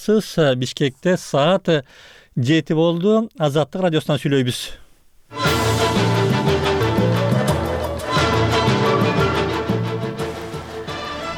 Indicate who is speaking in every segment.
Speaker 1: кылабыз. Бишкекте саат 7 болду. Азаттык радиосунан сүйлөйбүз.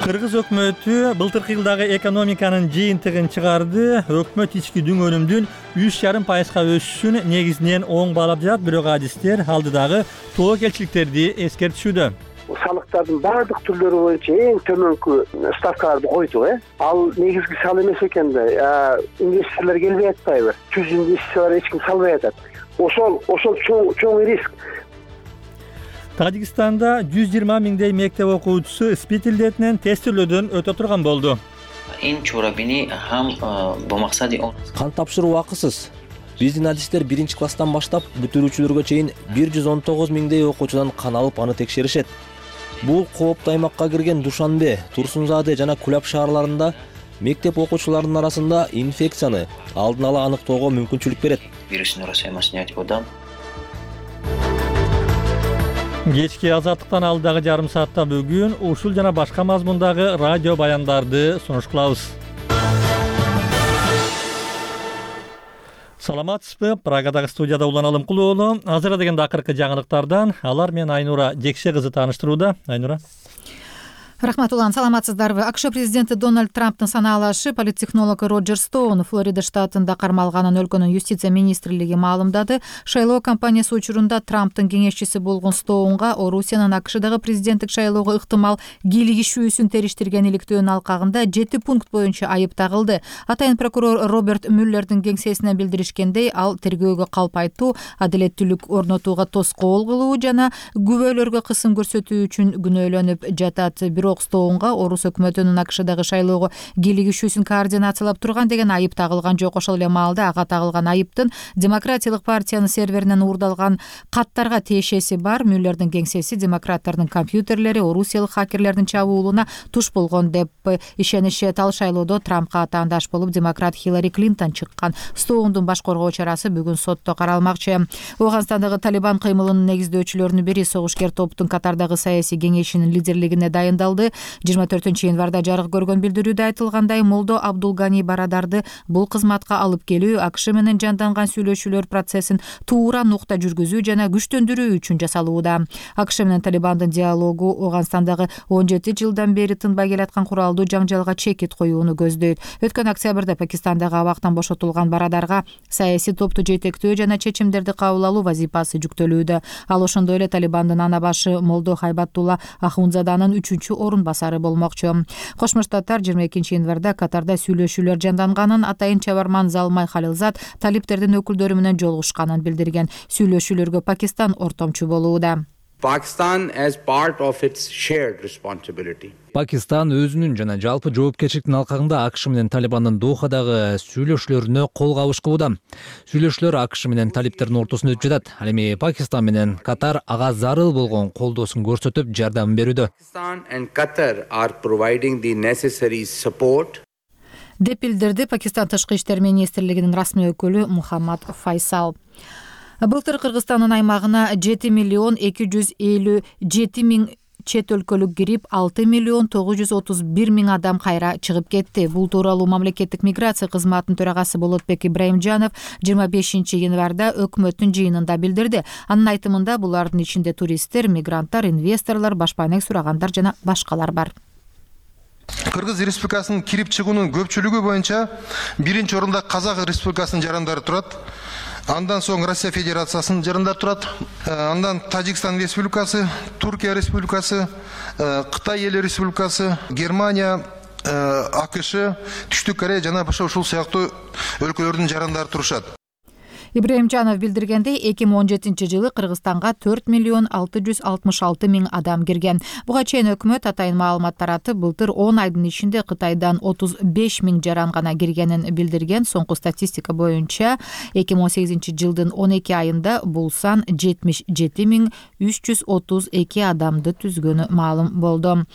Speaker 1: Кыргыз өкмөтү былтыркы жылдагы экономиканын жыйынтыгын чыгарды. Өкмөт ички дүң өнүмдүн 3,5% өсүшүн негизинен оң баалап жатат, бирок адистер алдыдагы тобокелчиликтерди эскертишүүдө.
Speaker 2: Салыктардын баардык түрлөрү боюнча эң төмөнкү ставкаларды койду. Ал негизги сал эмес экен да. Инвесторлор келбей атпайбы? Түз инвестициялар эч ким салбай атат. Ошол чоң риск.
Speaker 1: Тажикстанда 120 миңдей мектеп окуучусу спид илдетинен тестөөлөөдөн өтө турган болду.
Speaker 3: Кан тапшыруу акысыз. Биздин адистер 1-класстан баштап бүтүрүүчүлөргө чейин 119 миңдей окуучудан кан алып аны текшеришет. Бул кооптуу аймакка кирген Душанбе, Турсунзаде жана Кулап шаарларында мектеп окуучуларынын арасында инфекцияны алдын ала аныктоого мүмкүнчүлүк берет.
Speaker 1: Кечки азаттыктан алдагы жарым саатта бүгүн ушул жана башка мазмундагы радио баяндарды сунуш кылабыз. Саламатсызбы? Прагадагы студияда Улан Алымкулуу. Азыр дегенде акыркы жаңылыктардан алар менен Айнура Жекше кызы тааныштырууда. Айнура.
Speaker 4: Рахмат, Улан, саламатсыздарбы? АКШ президенти Дональд Трамптын санаалашы политтехнолог Роджер Стоун Флорида штатында кармалганын өлкөнүн юстиция министрлиги маалымдады. Шайлоо кампаниясы учурунда Трамптын кеңешчиси болгон Стоунга Орусиянын АКШдагы президенттик шайлоого ыктымал кийлигишүүсүн териштирген иликтөөнүн алкагында 7 пункт боюнча айып тагылды. Атайын прокурор Роберт Мюллердин кеңсесинен билдиришкендей, ал тергөөгө калпайтуу, адилеттүүлүк орнотууга тоскоол кылуу жана күбөлөргө кысым көрсөтүү үчүн күнөөлөнүп жатат. Стоунга Орус өкмөтүнүн АКШдагы шайлоого кийлигишүүсүн координациялап турган деген айып тагылган жок. Ошол эле маалда ага тагылган айыптын Демократиялык партиянын серверинен уурдалган каттарга тиешеси бар. Мюллердин кеңсеси демократтардын компьютерлери орусиялык хакерлердин чабуулуна туш болгон деп ишенишет. Ал шайлоодо Трампка атаандаш болуп демократ Хиллари Клинтон чыккан. Стоундун баш коргоо чарасы бүгүн сотто каралмакчы. Афганстандагы Талибан кыймылынын негиздөөчүлөрүнүн бири согушкер топтун Катардагы саясий кеңешинин лидерлигине дайындалды. 24-январда жарык көргөн билдирүүдө айтылгандай, Молдо Абдулгани Барадарды бул кызматка алып келүү АКШ менен жанданган сүйлөшүүлөр процессин туура нукта жүргүзүү жана күчтөндүрүү үчүн жасалууда. АКШ менен Талибандын диалогу Афганстандагы 17 жылдан бери тынбай келаткан куралдуу жаңжалга чекит коюуну көздөйт. Өткөн октябрда Пакистандагы абактан бошотулган Барадарга саясий топту жетектөө жана чечимдерди кабыл алуу вазифасы жүктөлүүдө. Ал ошондой эле Талибандын ана башы Молдо Хайбаттулла Ахунзаданын 3-орун басары болмокчу. Кошмо Штаттар 22-январда Катарда сүйлөшүүлөр жанданганын, атайын чабарман Залмай Халилзад талиптердин өкүлдөрү менен жолугушканын билдирген. Сүйлөшүүлөргө Пакистан ортомчу болууда.
Speaker 5: Pakistan as part of its shared responsibility.
Speaker 3: Пакистан өзүнүн жана жалпы жоопкерчиликтин алкагында АКШ менен Талибандын Дохадагы сүйлөшүүлөрүнө кол кабыш кылууда. Сүйлөшүүлөр АКШ менен талиптердин ортосунда өтүп жатат. Ал эми Пакистан менен Катар ага зарыл болгон колдоосун көрсөтүп жардам берүүдө.
Speaker 5: Pakistan and Qatar are providing the necessary support.
Speaker 4: Деп билдирди Пакистан тышкы иштер министрлигинин расмий өкүлү Мухаммад Файсал. Былтыр Кыргызстандын аймагына 7,257,000 чет өлкөлүк кирип, 6,931,000 адам кайра чыгып кетти. Бул тууралуу мамлекеттик миграция кызматынын төрагасы Болотбек Ибраимжанов 25-январда өкмөттүн жыйынында билдирди. Анын айтымында булардын ичинде туристтер, мигранттар, инвесторлор, башпайнек сурагандар жана башкалар бар.
Speaker 6: Кыргыз Республикасынын кирип чыгуунун көпчүлүгү боюнча биринчи орунда Казак Республикасынын жарандары турат. Андан соң Россия Федерациясынын жарандары турат. Андан Тажикстан Республикасы, Туркия Республикасы, Кытай Эл Республикасы, Германия, АКШ, Түштүк Корея жана башка ушул сыяктуу өлкөлөрдүн жарандары турушат.
Speaker 4: Ибраимжанов билдиргендей, 2017-жылы Кыргызстанга 4,666,000 адам кирген. Буга чейин өкмөт атайын маалымат таратып, былтыр 10 айдын ичинде Кытайдан 35,000 жаран гана киргенин билдирген. Соңку статистика боюнча 2018-жылдын 12 айында бул сан 77,332 адамды түзгөнү маалым болду.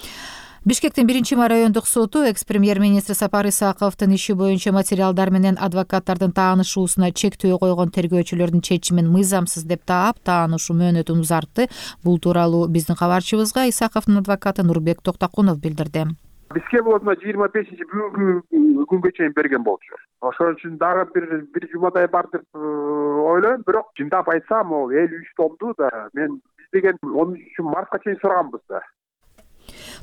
Speaker 4: Бишкектин 1-май райондук соту экс-премьер-министр Сапар Исаковдун иши боюнча материалдар менен адвокаттардын таанышуусуна чектөө койгон тергөөчүлөрдүн чечимин мыйзамсыз деп таап, таанышуу мөөнөтүн узартты. Бул тууралуу биздин кабарчыбызга Исаковдун адвокаты Нурбек Токтокунов билдирди.
Speaker 7: Бизге болот 25 бүгүнкү күнгө чейин берген болчу. Ошон үчүн дагы бир жумадай бар деп ойлойм. Бирок чындап айтсам, ол 53 томду да мен биз деген 13-мартка чейин сураганбыз да.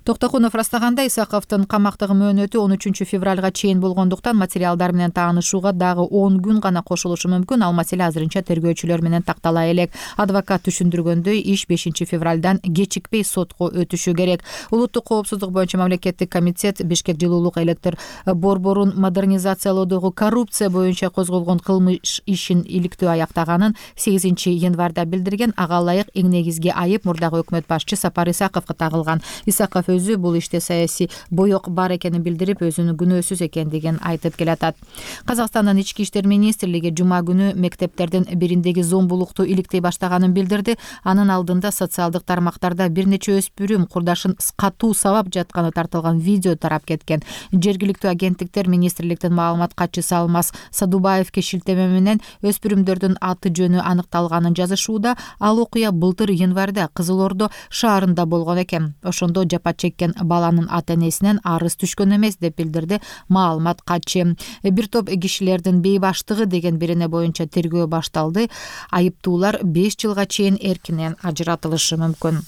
Speaker 4: Токтокунов ырастагандай, Исаковдун камактагы мөөнөтү 13 февралга чейин болгондуктан материалдар менен таанышууга дагы 10 күн гана кошулушу мүмкүн. Ал маселе азырынча тергөөчүлөр менен тактала элек. Адвокат түшүндүргөндөй, иш 5 февралдан кечикпей сотко өтүшү керек. Улуттук коопсуздук боюнча мамлекеттик комитет Бишкек жылуулук электр борборун модернизациялоодогу коррупция боюнча козголгон кылмыш ишин иликтөө аяктаганын 8 январда билдирген. Ага ылайык эң негизги айып мурдагы өкмөт башчы Сапар Исаковго тагылган. Исаков өзү бул иште саясий боек бар экенин билдирип, өзүнүн күнөөсүз экендигин айтып келатат. Казакстандын ички иштер министрлиги жума күнү мектептердин бириндеги зомбулукту иликтей баштаганын билдирди. Анын алдында социалдык тармактарда бир нече өспүрүм курдашын катуу сабап жатканы тартылган видео тарап кеткен. Жергиликтүү агенттиктер министрликтин маалымат катчысы Алмаз Садубаевке шилтеме менен өспүрүмдөрдүн аты жөнү аныкталганын жазышууда. Ал окуя былтыр январда Кызыл Ордо шаарында болгон экен. Ошондо жапа чеккен баланын ата-энесинен арыз түшкөн эмес деп билдирди маалымат катчы. Бир топ кишилердин бейбаштыгы деген бирине боюнча тергөө башталды. Айыптуулар 5 жылга чейин эркинен ажыратылышы мүмкүн.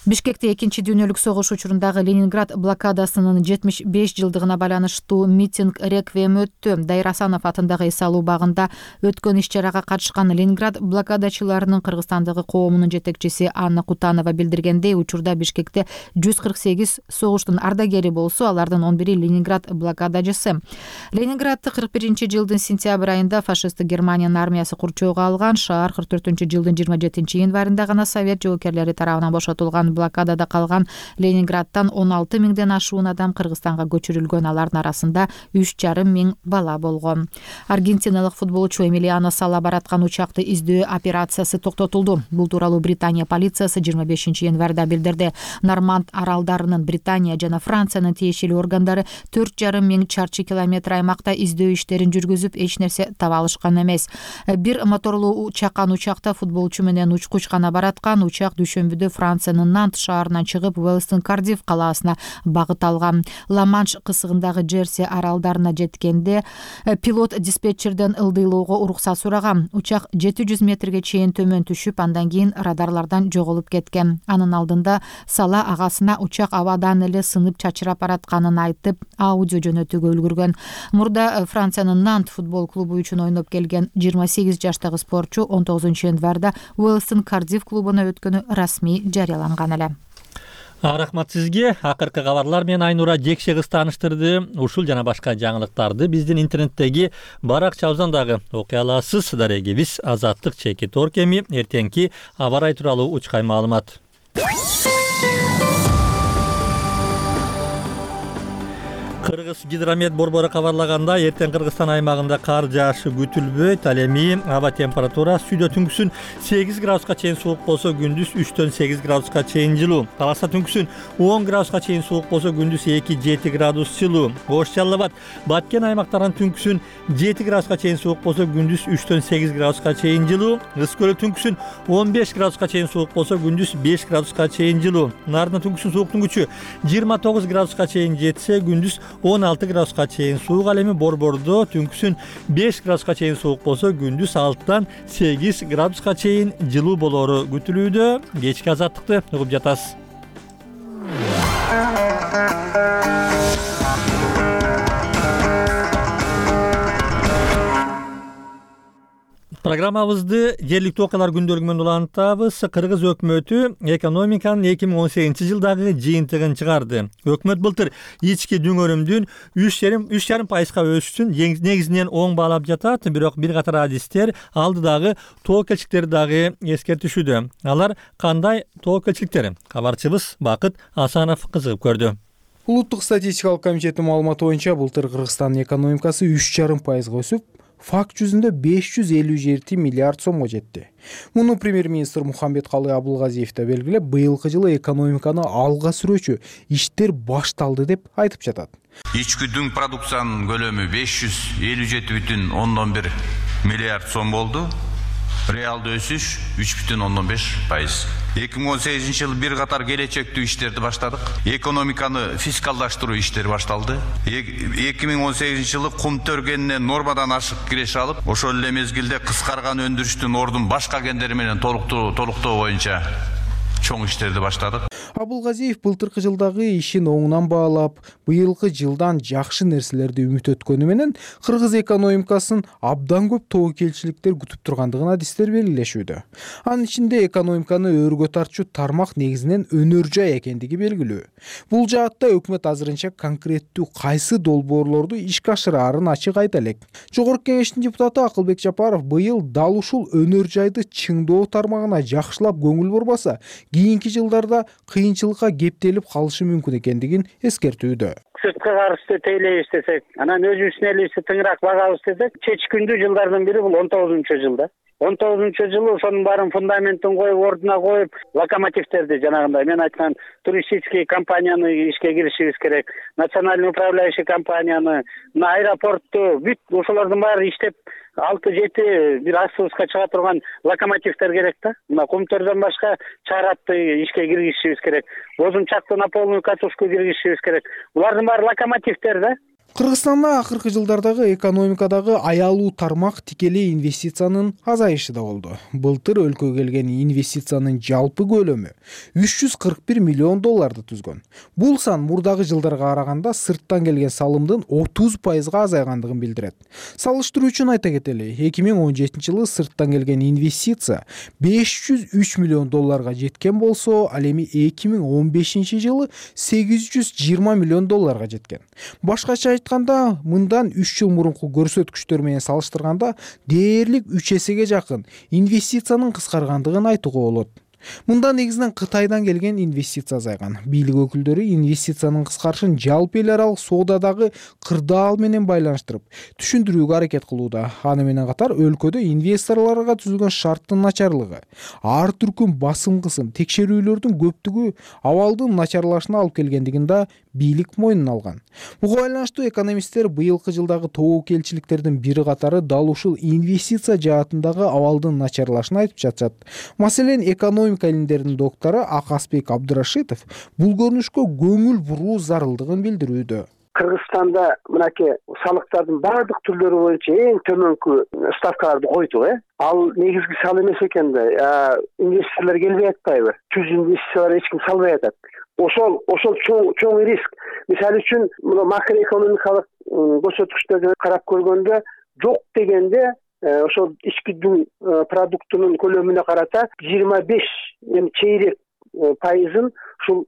Speaker 4: Бишкекте 2 дүйнөлүк согуш учурундагы Ленинград блокадасынын 75 жылдыгына байланыштуу митинг реквием өттү. Дайыр Асанов атындагы эс-алуу багында өткөн иш-чарага катышкан Ленинград блокадачыларынын Кыргызстандагы коомунун жетекчиси Анна Кутанова билдиргендей, учурда Бишкекте 148 согуштун ардагери болсо, алардын 11-и Ленинград блокадачысы. Ленинградты 41-жылдын сентябрь айында фашисттик Германиянын армиясы курчоого алган. Шаар 44-жылдын 27 январында гана совет жоокерлери тарабынан бошотулган. Блокадада калган Ленинградтан 16 миңден ашуун адам Кыргызстанга көчүрүлгөн. Алардын арасында 3,5 миң бала болгон. Аргентиналык футболчу Эмилиано Сала бараткан учакты издөө операциясы токтотулду. Бул тууралуу Британия полициясы 25 январда билдирди. Норманд аралдарынын Британия жана Франциянын тиешелүү органдары 4,5 миң чарчы километр аймакта издөө иштерин жүргүзүп, эч нерсе таба алышкан эмес. Бир моторлуу чакан учакта футболчу менен учкуч гана бараткан. Учак дүйшөмбүдө Франциянын Нант шаарынан чыгып, Уэлстон Кардиф калаасына багыт алган. Ла-Манш кысыгындагы Джерси аралдарына жеткенде пилот диспетчерден ылдыйлоого уруксат сураган. Учак 700 метрге чейин төмөн түшүп, андан кийин радарлардан жоголуп кеткен. Анын алдында Сала агасына учак абадан эле сынып чачырап баратканын айтып, аудио жөнөтүүгө үлгүргөн. Мурда Франциянын Нант футбол клубу үчүн ойноп келген 28 жаштагы спортчу 19 январда Уэлстон Кардиф клубуна өткөнү расмий жарыяланган эле.
Speaker 1: Рахмат сизге. Акыркы кабарлар менен Айнура Жекшегиз тааныштырды. Ушул жана башка жаңылыктарды биздин интернеттеги баракчабыздан дагы окуй аласыз. Дарегибиз Азаттык чекит оркеми. Эртеңки аба ырайы тууралуу учкай маалымат. Кыргыз гидромет борбору кабарлагандай, эртең Кыргызстан аймагында кар жаашы күтүлбөйт. Ал эми аба температурасы сүйдө түнкүсүн 8 градуска чейин суук болсо, күндүз 3-төн 8 градуска чейин жылуу. Таласта түнкүсүн 10 градуска чейин суук болсо, күндүз 2-7 градус жылуу. Ош Жалал Абад, Баткен аймактарынан түнкүсүн 7 градуска чейин суук болсо, күндүз 3-төн 8 градуска чейин жылуу. Ыс Көлү түнкүсүн 15 градуска чейин суук болсо, күндүз 5 градуска чейин жылуу. Нарында түнкүсүн сууктун күчү 29 градуска чейин жетсе, күндүз 16 градуска чейин суук. Ал эми Борбордо түнкүсүн 5 градуска чейин суук болсо, күндүз 6-тан 8 градуска чейин жылуу болору күтүлүүдө. Кечки азаттыкты угуп жатасыз. Программабызды жергиликтүү окуялар күндөлүгү менен улантабыз. Кыргыз өкмөтү экономиканын 2018 жылдагы жыйынтыгын чыгарды. Өкмөт былтыр ички дүңөрүмдүн 3,5% өсүшүн негизинен оң баалап жатат. Бирок бир катар адистер алдыдагы тоокелчиликтер дагы эскертишүүдө. Алар кандай тоокелчиликтер? Кабарчыбыз Бакыт Асанов кызыгып көрдү.
Speaker 8: Улуттук статистикалык комитеттин маалыматы боюнча былтыр Кыргызстандын экономикасы 3,5% өсүп, факт жүзүндө 557 миллиард сомго жетти. Муну премьер-министр Мухамбеткалый Абылгазиев да белгилеп, быйылкы жылы экономиканы алга сүрүүчү иштер башталды деп айтып жатат.
Speaker 9: Ички дүң продукциянын көлөмү 557,1 миллиард сом болду. Реалдуу өсүш 3,15%. 2018 жылы бир катар келечектүү иштерди баштадык. Экономиканы фискалдаштыруу иштери башталды. 2018 жылы кум төргенинен нормадан ашык киреше алып, ошол эле мезгилде кыскарган өндүрүштүн ордун башка кендери менен толуктоо боюнча чоң иштерди баштадык.
Speaker 8: Абылгазиев былтыркы жылдагы ишин оңунан баалап, быйылкы жылдан жакшы нерселерди үмүт өткөнү менен кыргыз экономикасын абдан көп тобокелчиликтер күтүп тургандыгын адистер белгилешүүдө. Анын ичинде экономиканы өргө тартчу тармак негизинен өнөр жай экендиги белгилүү. Бул жаатта өкмөт азырынча конкреттүү кайсы долбоорлорду ишке ашыраарын ачык айта элек. Жогорку кеңештин депутаты Акылбек Жапаров быйыл дал ушул өнөр жайды чыңдоо тармагына жакшылап көңүл бурбаса, кийинки жылдарда кыйынчылыкка кептелип калышы мүмкүн экендигин эскертүүдө.
Speaker 10: Сырткы карызды тейлейбиз десек, анан өзүбүздүн элибизди тыңыраак багабыз десек, чечкиндүү жылдардын бири бул 19-жылда. 19-жылы ошонун баарын фундаментин коюп, ордуна коюп, локомотивтерди жанагындай мен айткан туристический компанияны ишке киришибиз керек, национальный управляющий компанияны, аэропортту, бүт ошолордун баары иштеп 6-7 бир астыбызга чыга турган локомотивтер керек да. Мына Кумтөрдөн башка Чаратты ишке киргизишибиз керек. Бозумчакты на полную катушку киргизишибиз керек. Булардын баары локомотивтер да.
Speaker 8: Кыргызстанда акыркы жылдардагы экономикадагы аялуу тармак тикелей инвестициянын азайышы да болду. Былтыр өлкөгө келген инвестициянын жалпы көлөмү $341 миллион түзгөн. Бул сан мурдагы жылдарга караганда сырттан келген салымдын 30% азайгандыгын билдирет. Салыштыруу үчүн айта кетели, 2017 жылы сырттан келген инвестиция $503 миллион жеткен болсо, ал эми 2015 жылы $820 миллион жеткен. Башкача айтканда, мындан 3 жыл мурунку көрсөткүчтөр менен салыштырганда дээрлик 3 эсеге жакын инвестициянын кыскаргандыгын айтууга болот. Мында негизинен Кытайдан келген инвестиция азайган. Бийлик өкүлдөрү инвестициянын кыскарышын жалпы эл аралык соодадагы кырдаал менен байланыштырып, түшүндүрүүгө аракет кылууда. Аны менен катар өлкөдө инвесторлорго түзүлгөн шарттын начарлыгы, ар түркүм басым кысым, текшерүүлөрдүн көптүгү абалдын начарлашына алып келгендигин да бийлик мойнуна алган. Буга байланыштуу экономисттер быйылкы жылдагы тобокелчиликтердин бири катары дал ушул инвестиция жаатындагы абалдын начарлашын айтып жатышат. Маселен, экономика илимдеринин доктору Акасбек Абдырашитов бул көрүнүшкө көңүл буруу зарылдыгын билдирүүдө.
Speaker 2: Кыргызстанда мынакей салыктардын баардык түрлөрү боюнча эң төмөнкү ставкаларды койду. Ал негизги сал эмес экен да. Инвесторлор келбей атпайбы? Түз инвестициялар эч ким салбай атат. Ошол чоң риск. Мисалы үчүн, мына макроэкономикалык көрсөткүчтөрдү карап көргөндө жок дегенде ошол ички дүң продуктунун көлөмүнө карата 25 чейрек пайызын ушул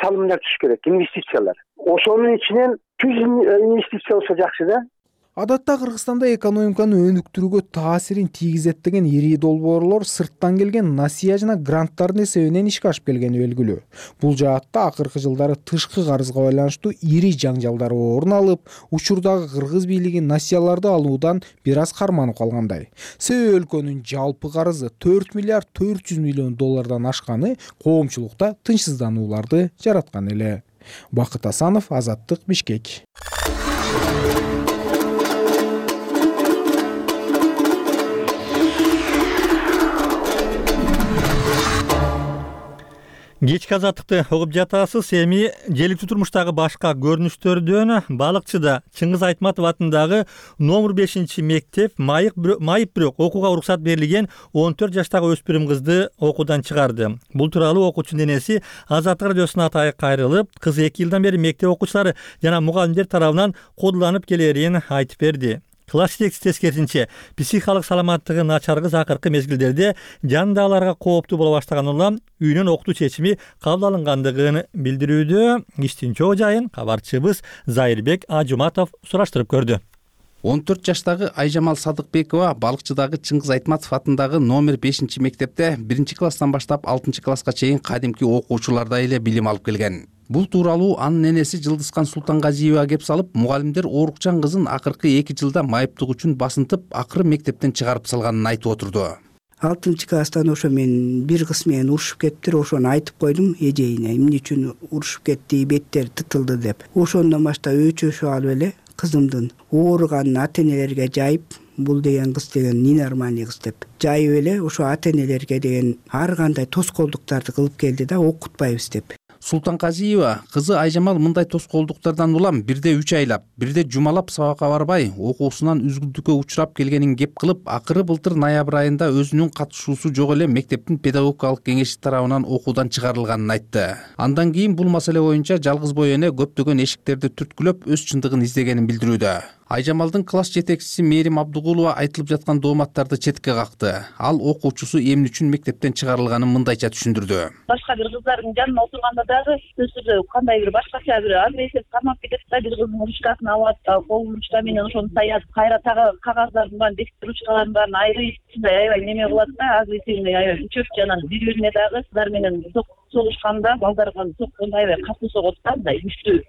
Speaker 2: салымдар түшүш керек, инвестициялар. Ошонун ичинен түз инвестиция болсо жакшы да.
Speaker 8: Адатта Кыргызстанда экономиканы өнүктүрүүгө таасирин тийгизет деген ири долбоорлор сырттан келген насыя жана гранттардын эсебинен ишке ашып келгени белгилүү. Бул жаатта акыркы жылдары тышкы карызга байланыштуу ири жаңжалдар орун алып, учурдагы кыргыз бийлиги насыяларды алуудан бир аз карманып калгандай. Себеби өлкөнүн жалпы карызы $4 миллиард 400 миллион ашканы коомчулукта тынчсызданууларды жараткан эле. Бакыт Асанов, Азаттык, Бишкек.
Speaker 1: Кечки азаттыкты угуп жатасыз. Эми желектүү турмуштагы башка көрүнүштөрдөн балыкчыда Чыңгыз Айтматов атындагы номер 5 мектеп майып бирок окууга уруксат берилген 14 жаштагы өспүрүм кызды окуудан чыгарды. Бул тууралуу окуучунун энеси Азаттык радиосуна кайрылып, кыз 2 жылдан бери мектеп окуучулары жана мугалимдер тарабынан кодуланып келерин айтып берди. Класс жетекчиси тескерисинче, психикалык саламаттыгы начар кыз акыркы мезгилдерде жандагыларга кооптуу боло баштаган улам үйүнөн окутуу чечими кабыл алынгандыгын билдирүүдө. Иштин чоо жайын кабарчыбыз Зайырбек Ажуматов сураштырып көрдү.
Speaker 11: 14 жаштагы Айжамал Садыкбекова балыкчыдагы Чыңгыз Айтматов атындагы номер 5 мектепте 1 класстан баштап 6 класска чейин кадимки окуучулардай эле билим алып келген. Бул тууралуу анын энеси Жылдызкан Султангазиева кеп салып, мугалимдер оорукчан кызын акыркы 2 жылда майыптык үчүн басынтып, акыры мектептен чыгарып салганын айтып отурду.
Speaker 12: 6 класстан ошо мен бир кыз менен урушуп кеттир, ошону айтып койдум эжейине, эмне үчүн урушуп кетти, беттери тытылды деп. Ошондон баштап өчөшүп алып эле кызымдын ооруганын ата-энелерге жайып, бул деген кыз деген ненормальный кыз деп жайып эле ошо ата энелерге деген ар кандай тоскоолдуктарды кылып келди да, окутпайбыз деп.
Speaker 11: Султанказиева кызы Айжамал мындай тоскоолдуктардан улам бирде 3 айлап, бирде жумалап сабакка барбай, окуусунан үзгүлтүккө учурап келгенин кеп кылып, акыры былтыр ноябрь айында өзүнүн катышуусу жок эле мектептин педагогикалык кеңеши тарабынан окуудан чыгарылганын айтты. Андан кийин бул маселе боюнча жалгыз бой эне көптөгөн эшиктерди түрткүлөп өз чындыгын издегенин билдирүүдө. Айжамалдын класс жетекчиси Мээрим Абдыгулова айтылып жаткан дооматтарды четке какты. Ал окуучусу эмне үчүн мектептен чыгарылганын мындайча түшүндүрдү.
Speaker 13: Башка бир кыздардын жанына отурганда дагы сөзсүздө кандай бир башкача бир агрессия кармап кетет да, бир кыздын ручкасын алып атып, кол ручка менен ошону саят, кайра тагы кагаздардын баарын, бесик ручкалардын баарын айрып, аябай неме кылат да, агрессивный аябай күчөп, анан бири-бирине дагы кыздар менен согушканда, балдарга соккондо аябай катуу согот да, мындай күчтүү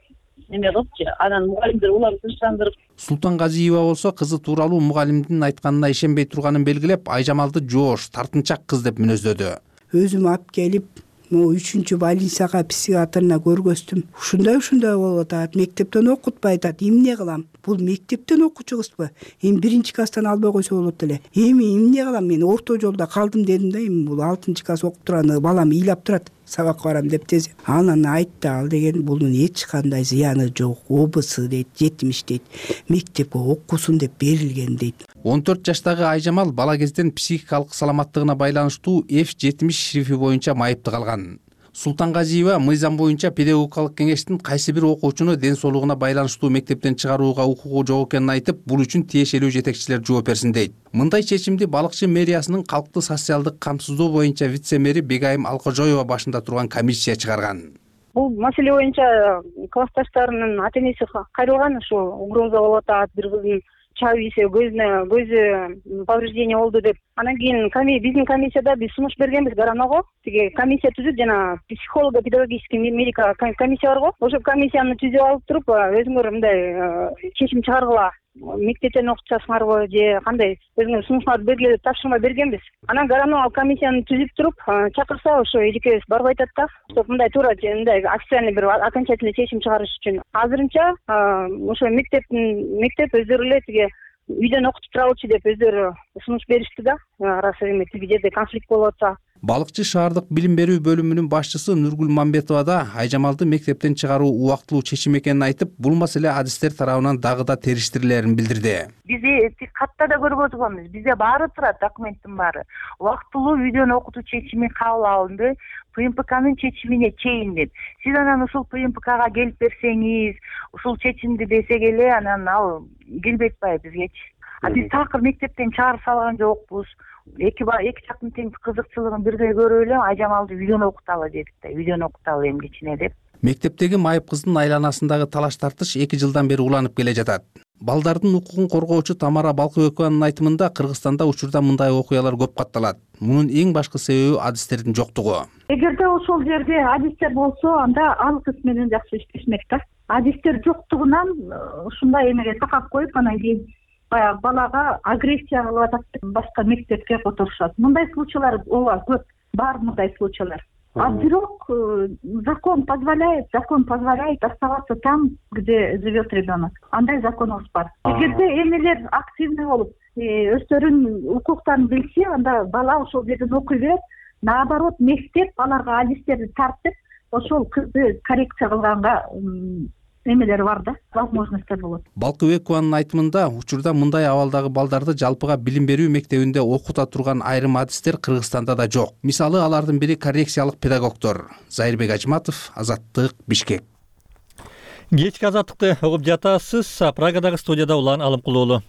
Speaker 13: неме кылыпчы. Анан мугалимдер улам тынчтандырып.
Speaker 11: Султанказиева болсо кызы тууралуу мугалимдин айтканына ишенбей турганын белгилеп, Айжамалды жоош, тартынчак кыз деп мүнөздөдү.
Speaker 12: Өзүм алып келип, могу 3-больницага психиатрына көргөздүм. Ушундай болуп атат, мектептен окутпай атат. Эмне кылам? Бул мектептен окуучу кызбы? Эми 1-класстан албай койсо болот эле. Эми эмне кылам? Мен орто жолдо калдым дедим да, эми бул 6-класс окуп турган балам ыйлап турат. Сабакка барам деп тез. Анан айтты, ал деген бунун эч кандай зыяны жок. ОБС дейт, 70 дейт. Мектепке окусун деп берилген дейт.
Speaker 11: 14 жаштагы Айжамал бала кезден психикалык саламаттыгына байланыштуу F70 шрифи боюнча майыпты калган. Султанказиева мыйзам боюнча педагогикалык кеңештин кайсы бир окуучуну ден соолугуна байланыштуу мектептен чыгарууга укугу жок экенин айтып, бул үчүн тиешелүү жетекчилер жооп берсин дейт. Мындай чечимди Балыкчы мэриясынын калкты социалдык камсыздоо боюнча вице-мэри Бегайым Алкожоева башында турган комиссия чыгарган.
Speaker 13: Бул маселе боюнча классташтарынын ата энеси кайрылган, ушу угроза болуп атат, бир кыздын чабып ийсе көзү повреждение болду деп. Анан кийин биздин комиссияда биз сунуш бергенбиз Гараного. Тиги комиссия түзүп, жана психолого-педагогический медика комиссия барго. Ошо комиссияны түзүп алып туруп, өзүңөр мындай чечим чыгаргыла. Мектептен окутасыңарбы же кандай өзүңөр сунуштарды бергиле деп тапшырма бергенбиз. Анан Гаранова комиссияны түзүп туруп, чакырса ошо эжекебиз барып айтат да, чтоб мындай туура мындай официальный бир окончательный чечим чыгарыш үчүн. Азырынча ошо мектеп өздөрү эле тиги үйдөн окутуп туралычы деп өздөрү сунуш беришти да, арасы эми тиги жерде конфликт болуп атса.
Speaker 11: Балыкчы шаардык билим берүү бөлүмүнүн башчысы Нургүл Мамбетова да Айжамалды мектептен чыгаруу убактылуу чечим экенин айтып, бул маселе адистер тарабынан дагы да териштирилерин билдирди.
Speaker 14: Биз катта да көрүп отурганбыз. Бизде баары турат, документтин баары. Убактылуу үйдөн окутуу чечими кабыл алынды, ПМПКнын чечимине чейин деп. Сиз анан ушул ПМПКга келип берсеңиз, ушул чечимди десек эле, анан ал келбей атпайбы бизгечи. Биз такыр мектептен чыгарып салган жокпуз. Эки жактын тең кызыкчылыгын бирдей көрүп эле Айжамалды үйдөн окуталы дедик да, үйдөн окуталы эми кичине деп.
Speaker 11: Мектептеги майып кыздын айланасындагы талаш тартыш 2 жылдан бери уланып келе жатат. Балдардын укугун коргоочу Тамара Балкыбекованын айтымында Кыргызстанда учурда мындай окуялар көп катталат. Мунун эң башкы себеби адистердин жоктугу.
Speaker 15: Эгерде ошол жерде адистер болсо, анда ал кыз менен жакшы иштешмек да. Адистер жоктугунан ушундай эмеге такап коюп, анан кийин баягы балага агрессия кылып атат деп башка мектепке которушат. Мындай случайлар ооба көп, бар мындай случайлар. А бирок закон позволяет оставаться там, где живет ребенок. Андай законубуз бар. Эгерде энелер активный болуп, өздөрүнүн укуктарын билсе, анда бала ошол жерден окуй берет. Наоборот, мектеп аларга адистерди тартып, ошол кызды коррекция кылганга эмелер бар да, возможностьтер болот.
Speaker 11: Балкыбекованын айтымында учурда мындай абалдагы балдарды жалпыга билим берүү мектебинде окута турган айрым адистер Кыргызстанда да жок. Мисалы алардын бири коррекциялык педагогдор. Зайырбек Ажматов, Азаттык, Бишкек.
Speaker 1: Кечки азаттыкты угуп жатасыз. Прагадагы студияда Улан Алымкулуулу.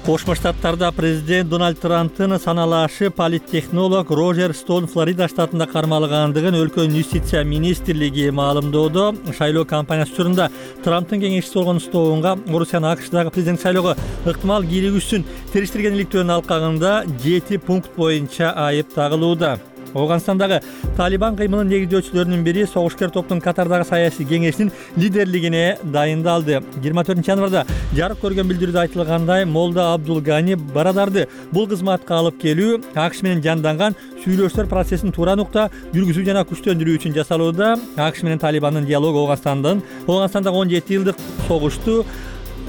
Speaker 1: Кошмо Штаттарда президент Дональд Трамптын саналашы политтехнолог Рожер Стоун Флорида штатында кармалгандыгын өлкөнүн юстиция министрлиги маалымдоодо. Шайлоо кампаниясы учурунда Трамптын кеңешчиси болгон Стоунга Орусиянын АКШдагы президент шайлоого ыктымал киригүүсүн териштиргенликтөрүнүн алкагында 7 пункт боюнча айып тагылууда. Афганистандагы Талибан кыймылын негиздөөчүлөрүнүн бири согушкер топтун Катардагы саясий кеңешинин лидерлигине дайындалды. 24 январда жарык көргөн билдирүүдө айтылгандай, Молда Абдул Гани Барадарды бул кызматка алып келүү АКШ менен жанданган сүйлөшүүлөр процессин туура нукта жүргүзүү жана күчтөндүрүү үчүн жасалууда. АКШ менен Талибандын диалогу Афганистандагы 17 жылдык согушту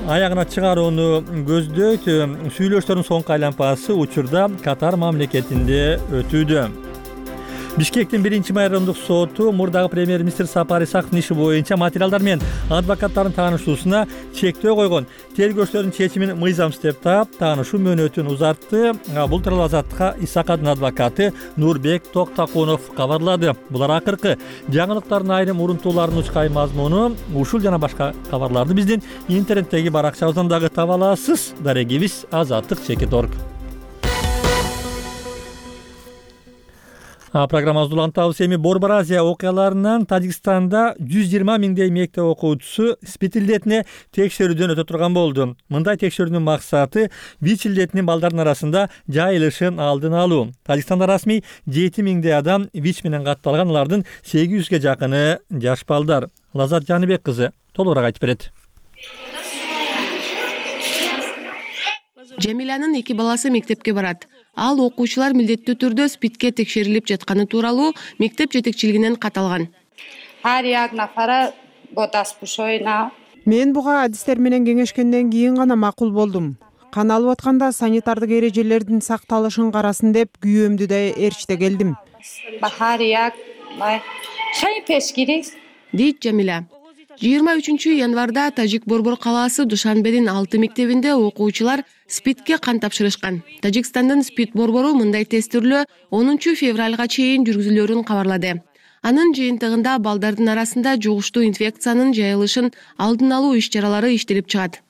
Speaker 1: аягына чыгарууну көздөйт. Сүйлөшүүлөрдүн соңку айлампасы учурда Катар мамлекетинде өтүүдө. Бишкектин 1-май райондук соту мурдагы премьер-министр Сапар Исаковдун иши боюнча материалдар менен адвокаттардын таанышуусуна чектөө койгон. Тергөөчүлөрдүн чечимин мыйзамсыз деп таап, таанышуу мөөнөтүн узартты. Бул тууралуу Азаттыкка Исаковдун адвокаты Нурбек Токтакунов кабарлады. Булар акыркы жаңылыктардын айрым урунтууларынын учкай мазмуну. Ушул жана башка кабарларды биздин интернеттеги баракчабыздан дагы таба аласыз. Дарегибиз azattik.org. Программабызды улантабыз. Эми Борбор Азия окуяларынан Тажикстанда 120 миңдей мектеп окуучусу СПИД илдетине текшерүүдөн өтө турган болду. Мындай текшерүүнүн максаты ВИЧ илдетинин балдардын арасында жайылышын алдын алуу. Тажикстанда расмий 7 миңдей адам ВИЧ менен катталган, алардын 800ге жакыны жаш балдар. Лазат Жаныбек кызы толугураак айтып берет.
Speaker 16: Жамиланын 2 баласы мектепке барат. Ал окуучулар милдеттүү түрдө СПИДке текшерилип жатканы тууралуу мектеп жетекчилигинен кат алган.
Speaker 17: Мен буга адистер менен кеңешкенден кийин гана макул болдум. Кан алып атканда санитардык эрежелердин сакталышын карасын деп күйөөмдү да ээрчите келдим.
Speaker 16: Дейт Жамила. 23 январда Тажик Борбор калаасы Душанбедин 6 мектебинде окуучулар СПИДке кан тапшырышкан. Тажикстандын СПИД борбору мындай тестирлөө 10 февралга чейин жүргүзүлөрүн кабарлады. Анын жыйынтыгында балдардын арасында жугуштуу инфекциянын жайылышын алдын алуу иш-чаралары иштелип чыгат.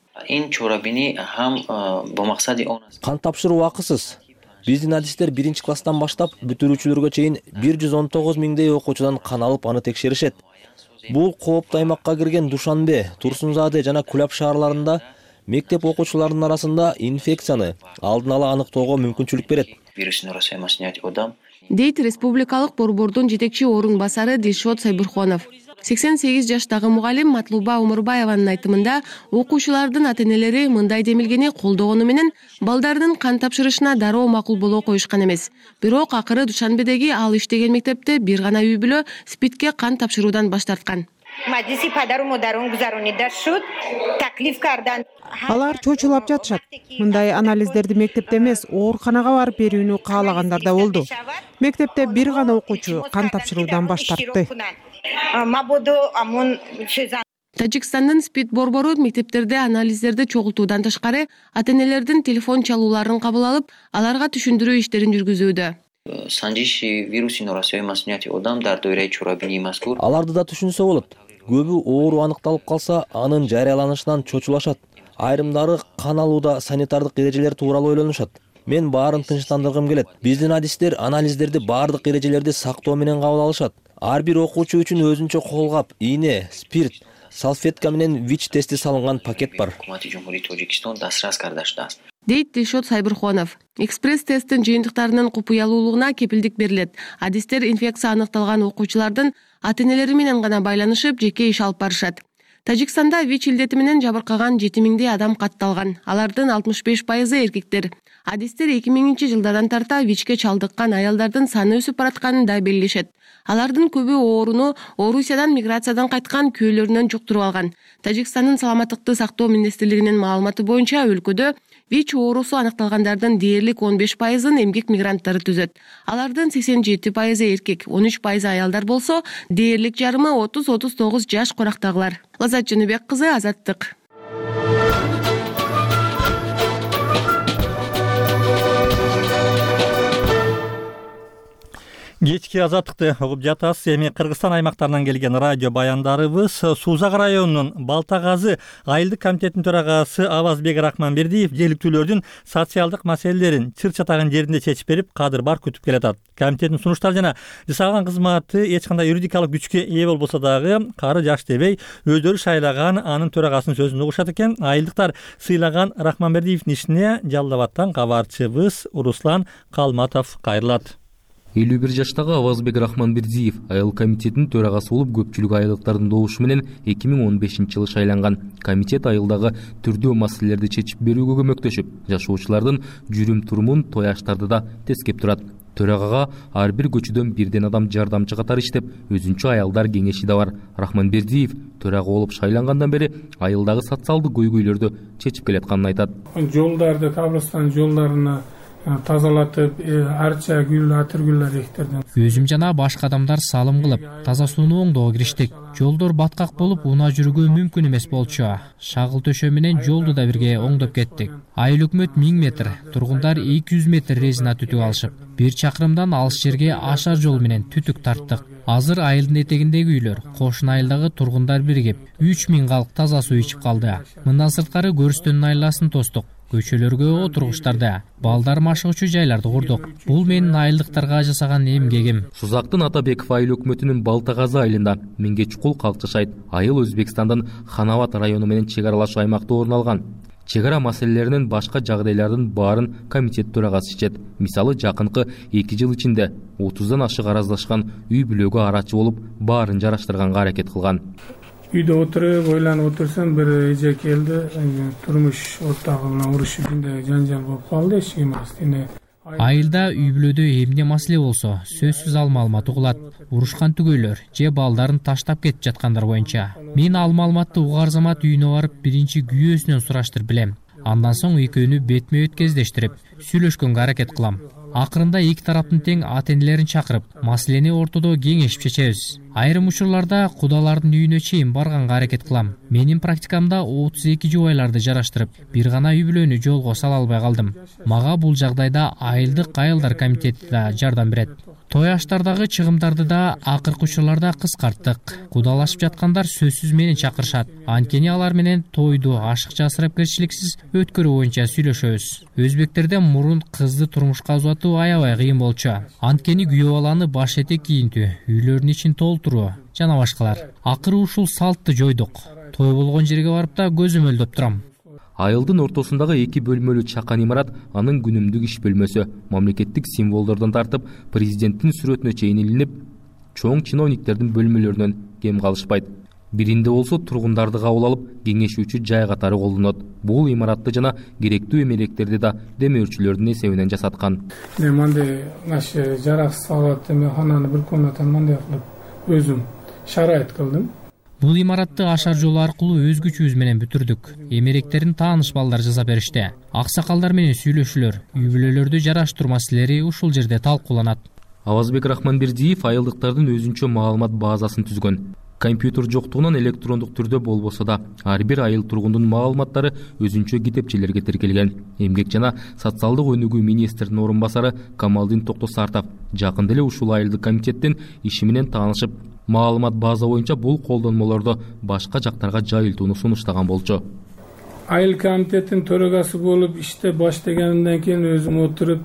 Speaker 3: Кан тапшыруу акысыз. Биздин адистер 1-класстан баштап бүтүрүүчүлөргө чейин 119 миңдей окуучудан кан алып аны текшеришет. Бул кооптуу аймакка кирген Душанбе, Турсунзаде жана Кулап шаарларында мектеп окуучуларынын арасында инфекцияны алдын ала аныктоого мүмкүнчүлүк берет.
Speaker 16: Дейт республикалык борбордун жетекчи орун басары Дилшот Сайбурхонов. 88 жаштагы мугалим Матлуба Умурбаеванын айтымында окуучулардын ата-энелери мындай демилгени колдогону менен балдардын кан тапшырышына дароо макул боло коюшкан эмес. Бирок акыры Душанбедеги ал иштеген мектепте бир гана үй бүлө СПИДке кан тапшыруудан баш тарткан.
Speaker 17: Алар чочулап жатышат. Мындай анализдерди мектепте эмес, ооруканага барып берүүнү каалагандар да болду. Мектепте бир гана окуучу кан тапшыруудан баш тартты.
Speaker 16: Тажикстандын СПИД борбору мектептерде анализдерди чогултуудан тышкары ата-энелердин телефон чалууларын кабыл алып, аларга түшүндүрүү иштерин жүргүзүүдө.
Speaker 3: Аларды да түшүнсө болот. Көбү оору аныкталып калса, анын жарыяланышынан чочулашат. Айрымдары кан алууда санитардык эрежелер тууралуу ойлонушат. Мен баарын тынчтандыргым келет. Биздин адистер анализдерди баардык эрежелерди сактоо менен кабыл алышат. Ар бир окуучу үчүн өзүнчө колгап, ийне, спирт, салфетка менен ВИЧ тести салынган пакет бар.
Speaker 16: Дейт Дилшот Сайбурхонов. Экспресс-тесттин жыйынтыктарынын купуялуулугуна кепилдик берилет. Адистер инфекция аныкталган окуучулардын ата-энелери менен гана байланышып, жеке иш алып барышат. Тажикстанда ВИЧ илдети менен жабыркаган 7 миңдей адам катталган. Алардын 65% эркектер. Адистер 2000 жылдардан тарта ВИЧке чалдыккан аялдардын саны өсүп баратканын да белгилешет. Алардын көбү ооруну Орусиядан миграциядан кайткан күйөөлөрүнөн жуктуруп алган. Тажикстандын саламаттыкты сактоо министрлигинин маалыматы боюнча өлкөдө ВИЧ оорусу аныкталгандардын дээрлик 15%-ын эмгек мигранттары түзөт. Алардын 87% эркек, 13% аялдар болсо, дээрлик жарымы 30-39 жаш корактагылар. Лазат Жаныбек кызы, Азаттык.
Speaker 1: Кечки азаттыкты угуп жатасыз. Эми Кыргызстан аймактарынан келген радио баяндарыбыз. Суузак районунун Балтагазы айылдык комитетинин төрагасы Авазбек Рахманбердиев жергиликтүүлөрдүн социалдык маселелерин чыр-чатаган жеринде чечип берип, кадыр бар күтүп келатат. Комитеттин сунуштары жана жасаган кызматы эч кандай юридикалык күчкө ээ болбосо дагы кары жаш дебей өздөрү шайлаган анын төрагасынын сөзүн угушат экен. Айылдыктар сыйлаган Рахманбердиевдин ишине Жалал Абадтан кабарчыбыз Руслан Калматов кайрылат.
Speaker 3: 51 жаштагы Авазбек Рахманбердиев айыл комитетинин төрагасы болуп көпчүлүк айылдыктардын добушу менен 2015-жылы шайланган. Комитет айылдагы түрдүү маселелерди чечип берүүгө көмөктөшүп, жашоочулардын жүрүм-турумун, той аштарды да тескеп турат. Төрагага ар бир көчөдөн бирден адам жардамчы катары иштеп, өзүнчө аялдар кеңеши да бар. Рахманбердиев төрага болуп шайлангандан бери айылдагы социалдык көйгөйлөрдү чечип келатканын айтат.
Speaker 18: Жолдарды, кабырстан жолдорун тазалатып, арча гүл, атыргүлдөр эктердим.
Speaker 19: Өзүм жана башка адамдар салым кылып, таза сууну оңдоого кириштик. Жолдор баткак болуп, унаа жүрүүгө мүмкүн эмес болчу. Шагыл төшөө менен жолду да бирге оңдоп кеттик. Айыл өкмөт 1000 метр, тургундар 200 метр резина түтүк алышып, 1 чакырымдан алыс жерге ашар жол менен түтүк тарттык. Азыр айылдын этегиндеги үйлөр, кошун айылдагы тургундар биригип, 3000 калк таза суу ичип калды. Мындан сырткары көрүстөнүн айласын тостук. Көчөлөргө отургучтарды, балдар машыгучу жайларды курдук. Бул менин айылдыктарга жасаган эмгегим.
Speaker 3: Сузактын Атабеков айыл өкмөтүнүн Балтагазы айылында Меңгечкул калк жашайт. Айыл Өзбекстандын Ханабат району менен чек аралаш аймакта орун алган. Чек ара маселелеринин башка жагдайлардын баарын комитет төрагасы чечет. Мисалы, жакынкы 2 жыл ичинде 30дан ашык араздашкан үй бүлөгө арачы болуп, баарын жараштырганга аракет кылган.
Speaker 18: Үйдө отуруп, ойланып отурсам, бир эже келди, турмуш ортогу менен урушуп, жанжал болуп калды, эч ким эмес.
Speaker 19: Айылда үй бүлөдө эмне маселе болсо, сөзсүз ал маалымат угулат. Урушкан түгөйлөр же балдарын таштап кетип жаткандар боюнча. Мен ал маалыматты угар замат үйүнө барып, биринчи күйөөсүнөн сураштырып билем. Андан соң экөөнү бетме-бет кездештирип, сүйлөшкөнгө аракет кылам. Акырында эки тараптын тең ата-энелерин чакырып, маселени ортодо кеңешип чечебиз. Айрым учурларда кудалардын үйүнө чейин барганга аракет кылам. Менин практикамда 32 жубайларды жараштырып, бир гана үй бүлөнү жолго сала албай калдым. Мага бул жагдайда айылдык айылдар комитети да жардам берет. Той аштардагы чыгымдарды да акыркы учурларда кыскарттык. Кудалашып жаткандар сөзсүз менен чакырышат. Анткени алар менен тойду ашыкча ысырапкерчиликсиз өткөрүү боюнча сүйлөшөбүз. Өзбектерден мурун кызды турмушка узатуу аябай кыйын болчу. Анткени күйөө баланы баш этек кийинтүү, үйлөрдүн ичин толтуруу жана башкалар. Акыры ушул салтты жойдук. Той болгон жерге барып да көзөмөлдөп турам.
Speaker 3: Айылдын ортосундагы 2 бөлмөлүү чакан имарат анын күнүмдүк иш бөлмөсү. Мамлекеттик символдордон тартып, президенттин сүрөтүнө чейин илинип, чоң чиновниктердин бөлмөлөрүнөн кем калышпайт. Биринде болсо тургундарды кабыл алып, кеңешүүчү жай катары колдонот. Бул имаратты жана керектүү эмелектерди да демөөрчүлөрдүн эсебинен жасаткан.
Speaker 18: Мындай жарак салат эмехананы бир комнатаны мындай кылып өзүм шарайт кылдым.
Speaker 19: Бул имаратты ашар жолу аркылуу өз күчүбүз менен бүтүрдүк. Эмеректерин тааныш балдар жасап беришти. Аксакалдар менен сүйлөшүүлөр, үй бүлөлөрдү жараштыруу маселелери ушул жерде талкууланат.
Speaker 3: Авазбек Рахманбердиев айылдыктардын өзүнчө маалымат базасын түзгөн. Компьютер жоктугунан электрондук түрдө болбосо да, ар бир айыл тургундун маалыматтары өзүнчө китепчелерге тиркелген. Эмгек жана социалдык өнүгүү министринин орун басары Камалдин Токтосартов жакында эле ушул айылдык комитеттин иши менен таанышып, маалымат база боюнча бул колдонмолорду башка жактарга жайылтууну сунуштаган болчу.
Speaker 18: Айыл комитетинин төрагасы болуп иштеп баштагандан кийин өзүм отуруп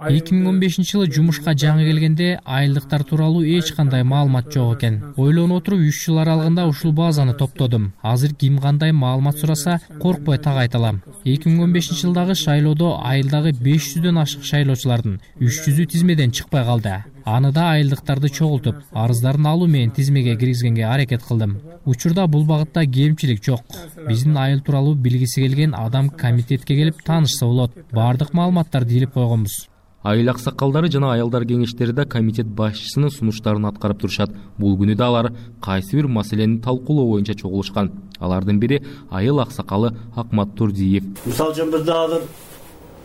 Speaker 19: 2015 жумушка жаңы келгенде айылдыктар тууралуу эч кандай маалымат жок экен. Ойлонуп отуруп 3 жыл аралыгында ушул базаны топтодум. Азыр ким кандай маалымат сураса, коркпой так айта алам. 2015 жылдагы шайлоодо айылдагы 500дөн ашык шайлоочулардын 300ү тизмеден чыкпай калды. Аны да айылдыктарды чогултуп, арыздарын алуу менен тизмеге киргизгенге аракет кылдым. Учурда бул багытта кемчилик жок. Биздин айыл тууралуу билгиси келген адам комитетке келип таанышса болот. Бардык маалыматтарды илип койгонбуз.
Speaker 3: Айыл аксакалдары жана аялдар кеңештери да комитет башчысынын сунуштарын аткарып турушат. Бул күнү да алар кайсы бир маселени талкуулоо боюнча чогулушкан. Алардын бири айыл аксакалы Акмат Турдиев.
Speaker 20: Мисалы үчүн бизде азыр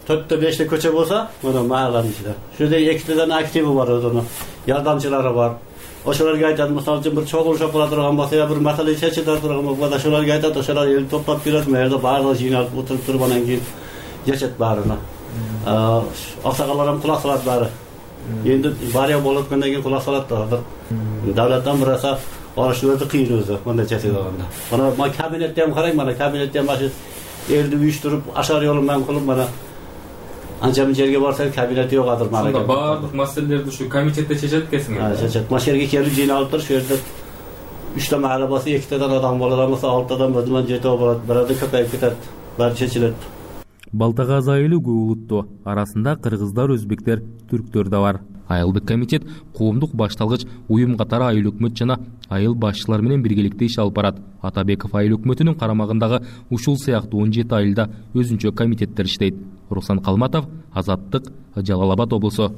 Speaker 20: 4-5 көчө болсо, мына махаланын ичинде. Шуде 2 активи бар, өзүнүн жардамчылары бар. Ошолорго айтат, мисалы үчүн бир чогулуш боло турган болсо, я бир маселе чечиле турган болсо, ошолорго айтат, ошолор эл топтоп келет, мэрде баардыгы жыйналып отуруп туруп анан кийин жечет баарына. Аксакалдар кулак салат баары. Эndi бария болуп аткандан кийин кулак салат да. Давлаттан бураса, алышы өзү кыйын өзү, мындай чечип алганда. Мына кабинетте ham карайм, мына кабинетте ham элди уюштуруп, ашар жолу менен кылып, мына анча мын жерге барсаң кабинет жок азыр мына.
Speaker 3: Сонда баардык маселелерди ушу комитетте чечет экенсиң.
Speaker 20: Чечет. Маш жерге келип жыйналып туруп, шу жерде 3 махалла болсо 2 адам болот, болсо 6 адам өзүнөн 7 болот. Бирөөдө көпөйүп кетет. Баары чечилет.
Speaker 3: Балтагаз айылы көп улуттуу. Арасында кыргыздар, өзбектер, түрктөр да бар.
Speaker 21: Айылдык комитет коомдук башталгыч уюм катары айыл өкмөт жана айыл башчылары менен биргеликте иш алып барат. Атабеков айыл өкмөтүнүн карамагындагы ушул сыяктуу 17 айылда өзүнчө комитеттер иштейт. Руслан Калматов, Азаттык, Жалал Абад облусу.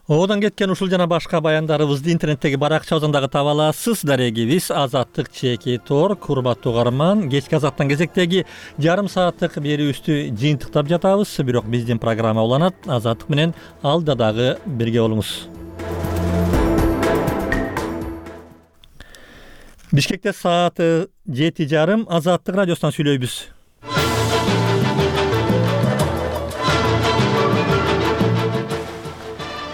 Speaker 1: Одан кеткен ушул жана башка баяндарыбызды интернеттеги баракчабыздан дагы таба аласыз. Дарегибиз Азаттык чеки тор. Урматтуу угарман, кечки Азаттан кезектеги жарым сааттык берүүбүздү жыйынтыктап жатабыз. Бирок биздин программа уланат. Азаттык менен алда дагы бирге болуңуз. Бишкекте сааты 7:30. Азаттык радиосунан сүйлөйбүз.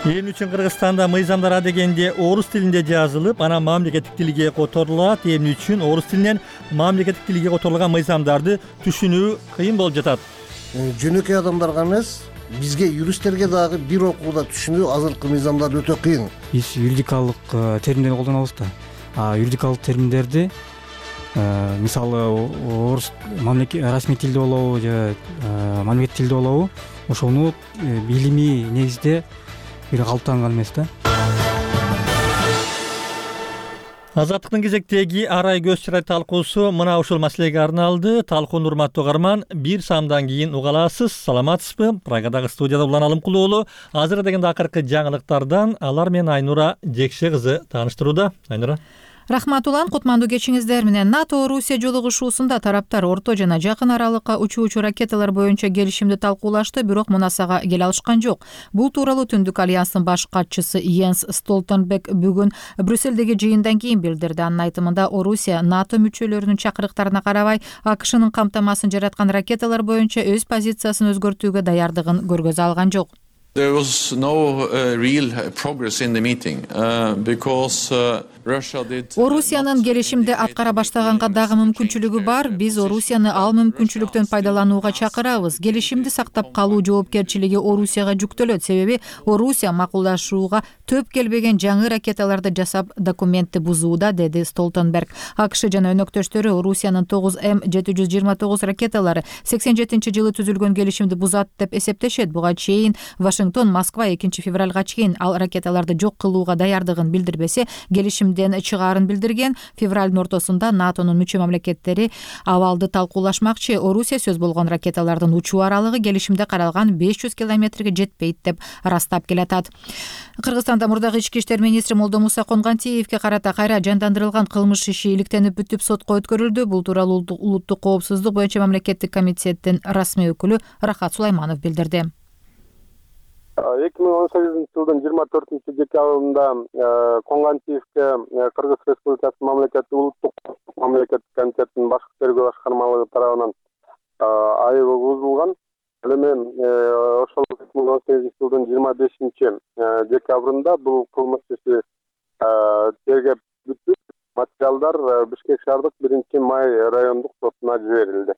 Speaker 1: Эл үчүн Кыргызстанда мыйзамдар дегенде орус тилинде жазылып, анан мамлекеттик тилге которулат. Эмне үчүн орус тилинен мамлекеттик тилге которулган мыйзамдарды түшүнүү кыйын болуп жатат?
Speaker 22: Жөнөкөй адамдарга эмес, бизге юристтерге дагы бир окууда түшүнүү азыркы мыйзамдар өтө кыйын.
Speaker 23: Биз юридикалык терминдерди колдонобуз да. Юридикалык терминдерди мисалы орус расмий тилде болобу же мамлекеттик тилде болобу, ошону билимий негизде бир калыптанган эмес да.
Speaker 1: Азаттыктын кезектеги арай көз чырай талкуусу мына ушул маселеге арналды. Талкууну урматтуу угарман, бир саамдан кийин уга аласыз. Саламатсызбы? Прагадагы студияда Улан Алымкулуулу. Азыр дегенде акыркы жаңылыктардан алар менен Айнура Жекше кызы тааныштырууда. Айнура.
Speaker 4: Рахмат улан, кутмандуу кечиңиздер менен. НАТО-Орусия жолугушуусунда тараптар орто жана жакын аралыкка учуучу ракеталар боюнча келишимди талкуулашты, бирок мунасага келе алышкан жок. Бул тууралуу Түндүк альянстын баш катчысы Йенс Столтенберг бүгүн Брюссельдеги жыйындан кийин билдирди. Анын айтымында Орусия НАТО мүчөлөрүнүн чакырыктарына карабай АКШнын камтамасын жараткан ракеталар боюнча өз позициясын өзгөртүүгө даярдыгын көргөзө алган жок.
Speaker 24: There was no real progress in the meeting because Russia did.
Speaker 4: Орусиянын келишимди аткара баштаганга дагы мүмкүнчүлүгү бар. Биз Орусияны ал мүмкүнчүлүктөн пайдаланууга чакырабыз. Келишимди сактап калуу жоопкерчилиги Орусияга жүктөлөт. Себеби Орусия макулдашууга төп келбеген жаңы ракеталарды жасап документти бузууда, деди Столтенберг. АКШ жана өнөктөштөрү Орусиянын 9М729 ракеталары 87-жылы түзүлгөн келишимди бузат деп эсептешет. Буга чейин Вашингтон Москва 2 февралга чейин ал ракеталарды жок кылууга даярдыгын билдирбесе, келишимден чыгаарын билдирген. Февралдын ортосунда НАТОнун мүчө мамлекеттери абалды талкуулашмакчы. Орусия сөз болгон ракеталардын учуу аралыгы келишимде каралган 500 километрге жетпейт деп ырастап келатат. Кыргызстанда мурдагы ички иштер министри Молдомуса Конгантиевке карата кайра жандандырылган кылмыш иши иликтенип бүтүп сотко өткөрүлдү. Бул тууралуу улуттук коопсуздук боюнча мамлекеттик комитеттин расмий өкүлү Рахат Сулайманов билдирди.
Speaker 25: 2018-жылдын 24-декабрында Конгантиевке Кыргыз Республикасы мамлекеттик улуттук мамлекеттик комитеттин башкы тергөө башкармалыгы тарабынан айып угузулган. Эми ошол 2018-жылдын 25-декабрында бул кылмыш иши тергеп бүтүп, материалдар Бишкек шаардык 1-Май райондук сотуна жиберилди.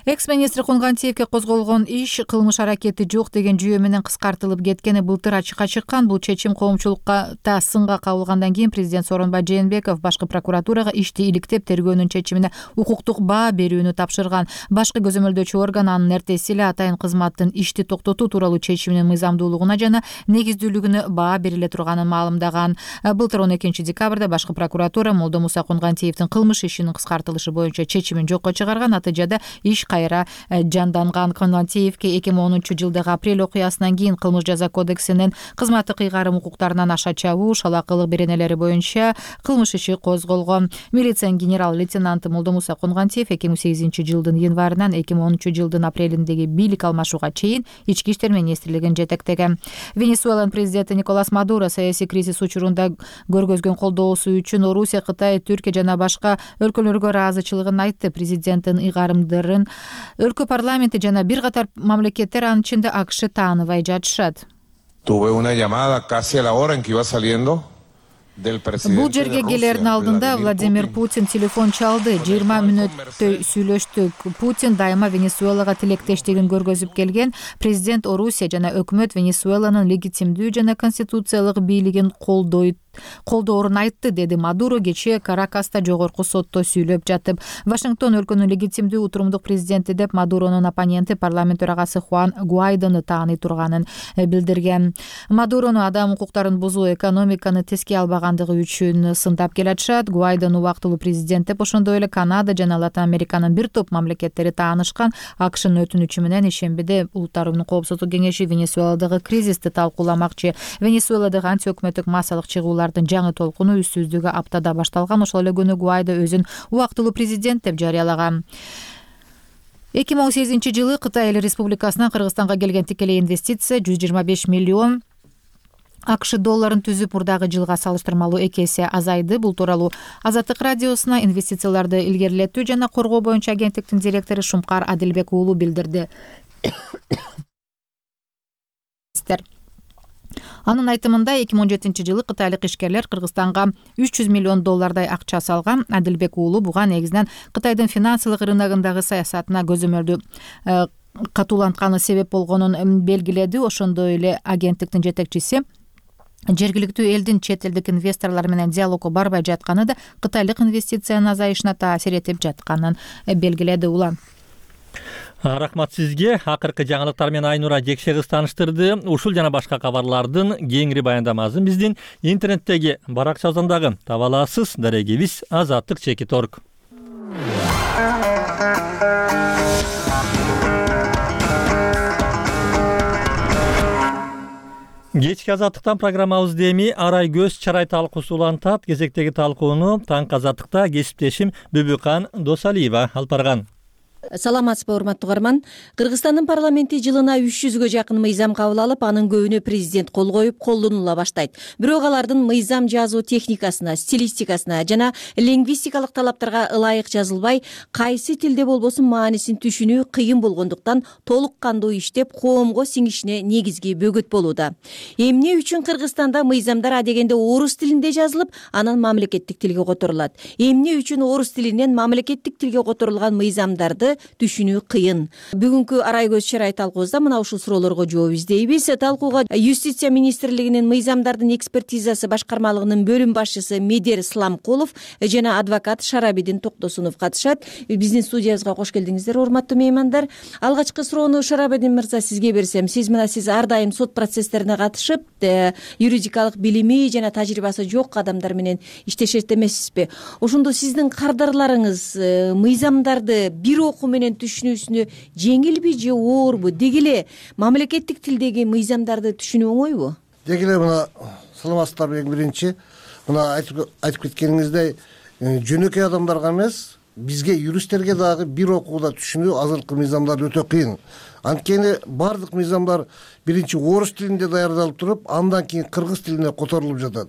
Speaker 4: Экс-министр Конгантиевке козголгон иш кылмыш аракети жок деген жүйө менен кыскартылып кеткени былтыр ачыкка чыккан. Бул чечим коомчулукка да сынга кабылгандан кийин президент Сооронбай Жээнбеков башкы прокуратурага ишти иликтеп тергөөнүн чечимине укуктук баа берүүнү тапшырган. Башкы көзөмөлдөөчү орган анын эртеси эле атайын кызматтын ишти токтотуу тууралуу чечиминин мыйзамдуулугуна жана негиздүүлүгүнө баа бериле турганын маалымдаган. Былтыр 12 декабрда башкы прокуратура Молдомуса Конгантиевдин кылмыш ишинин кыскартылышы боюнча чечимин жокко чыгарган. Натыйжада иш кайра жанданган. Конгантиевке 2010-жылдагы апрель окуясынан кийин кылмыш жаза кодексинин кызматтык ыйгарым укуктарынан аша чабуу, шалакылык беренелери боюнча кылмыш иши козголгон. Милициянын генерал-лейтенанты Молдомуса Конгантиев 2008-жылдын январынан 2013-жылдын апрелиндеги бийлик алмашууга чейин ички иштер министрлигин жетектеген. Венесуэланын президенти Николас Мадуро саясий кризис учурунда көргөзгөн колдоосу үчүн Орусия, Кытай, Түркия жана башка өлкөлөргө ыраазычылыгын айтты. Президенттин ыйгарымдарын өлкө парламенти жана бир катар мамлекеттер, анын ичинде АКШ тааныбай жатышат.
Speaker 26: Tuve una llamada casi a la hora en que iba saliendo.
Speaker 4: Бул жерге келердин алдында Владимир Путин телефон чалды. 20 мүнөттөй сүйлөштүк. Путин дайыма Венесуэлага тилектештигин көргөзүп келген. Президент Орусия жана өкмөт Венесуэланын легитимдүү жана конституциялык бийлигин колдойт колдоорун айтты, деди Мадуро кечээ Каракаста жогорку сотто сүйлөп жатып. Вашингтон өлкөнүн легитимдүү утурумдук президенти деп Мадуронун оппоненти парламент төрагасы Хуан Гуайдону тааный турганын билдирген. Мадурону адам укуктарын бузуу, экономиканы теске албагандыгы үчүн сындап келатышат. Гуайдону убактылуу президент деп, ошондой эле Канада жана Латын Американын бир топ мамлекеттери таанышкан. АКШнын өтүнүчү менен ишембиде Улуттар уюмунун коопсуздук кеңеши Венесуэладагы кризисти талкууламакчы. Венесуэладагы антиөкмөттүк массалык чыгуулардын жаңы толкуну үстүздүгү аптада башталган. Ошол эле күнү Гуайдо өзүн убактылуу президент деп жарыялаган. 2018-жылы Кытай Эл Республикасынан Кыргызстанга келген тикелей инвестиция 125 миллион АКШ долларын түзүп, мурдагы жылга салыштырмалуу 2 эсе азайды. Бул тууралуу Азаттык радиосуна инвестицияларды илгерилетүү жана коргоо боюнча агенттиктин директору Шумкар Адилбек уулу билдирди. Анын айтымында 2017-жылы кытайлык ишкерлер Кыргызстанга 300 миллион доллардай акча салган. Адилбек уулу буга негизинен Кытайдын финансылык рыногундагы саясатына көзөмөлдү катуулантканы себеп болгонун белгиледи. Ошондой эле агенттиктин жетекчиси жергиликтүү элдин чет элдик инвесторлор менен диалогго барбай жатканы да кытайлык инвестициянын азайышына таасир этип жатканын белгиледи. Улан
Speaker 1: рахмат сизге. Акыркы жаңылыктар менен Айнура Жекше кыз тааныштырды. Ушул жана башка кабарлардын кеңири баяндамасын биздин интернеттеги баракчабыздан дагы таба аласыз. Дарегибиз azattik.org. Кечки Азаттыктан программабызды эми Арай көз чарай талкуусу улантат. Кезектеги талкууну Таңкы Азаттыкта кесиптешим Бүбүкан Досалиева алып барган.
Speaker 2: Саламатсызбы, урматтуу угарман. Кыргызстандын парламенти жылына 300гө жакын мыйзам кабыл алып, анын көбүнө президент кол коюп, колдонула баштайт. Бирок алардын мыйзам жазуу техникасына, стилистикасына жана лингвистикалык талаптарга ылайык жазылбай, кайсы тилде болбосун маанисин түшүнүү кыйын болгондуктан толук кандуу иштеп, коомго сиңишине негизги бөгөт болууда. Эмне үчүн Кыргызстанда мыйзамдар адегенде орус тилинде жазылып, анан мамлекеттик тилге которулат? Эмне үчүн орус тилинен мамлекеттик тилге которулган мыйзамдарды түшүнүү кыйын? Бүгүнкү Арай көз чарай талкуубузда мына ушул суроолорго жооп издейбиз. Талкууга Юстиция министрлигинин мыйзамдардын экспертизасы башкармалыгынын бөлүм башчысы Медер Сламкулов жана адвокат Шарабидин Токтосунов катышат. Биздин студиябызга кош келдиңиздер, урматтуу меймандар. Алгачкы суроону Шарабидин мырза сизге берсем, сиз ар дайым сот процесстерине катышып, юридикалык билими жана тажрыйбасы жок адамдар менен иштешет эмессизби? Ошондо сиздин кардарларыңыз мыйзамдарды бир окуу менен түшүнүүсүнө жеңилби же оорбу? Деги эле мамлекеттик тилдеги мыйзамдарды түшүнүү оңойбу?
Speaker 22: Деги эле мына саламатсыздарбы, эң биринчи мына айтып кеткениңиздей, жөнөкөй адамдарга эмес, бизге юристтерге дагы бир окууда түшүнүү азыркы мыйзамдар өтө кыйын. Анткени бардык мыйзамдар биринчи орус тилинде даярдалып туруп, андан кийин кыргыз тилине которулуп жатат.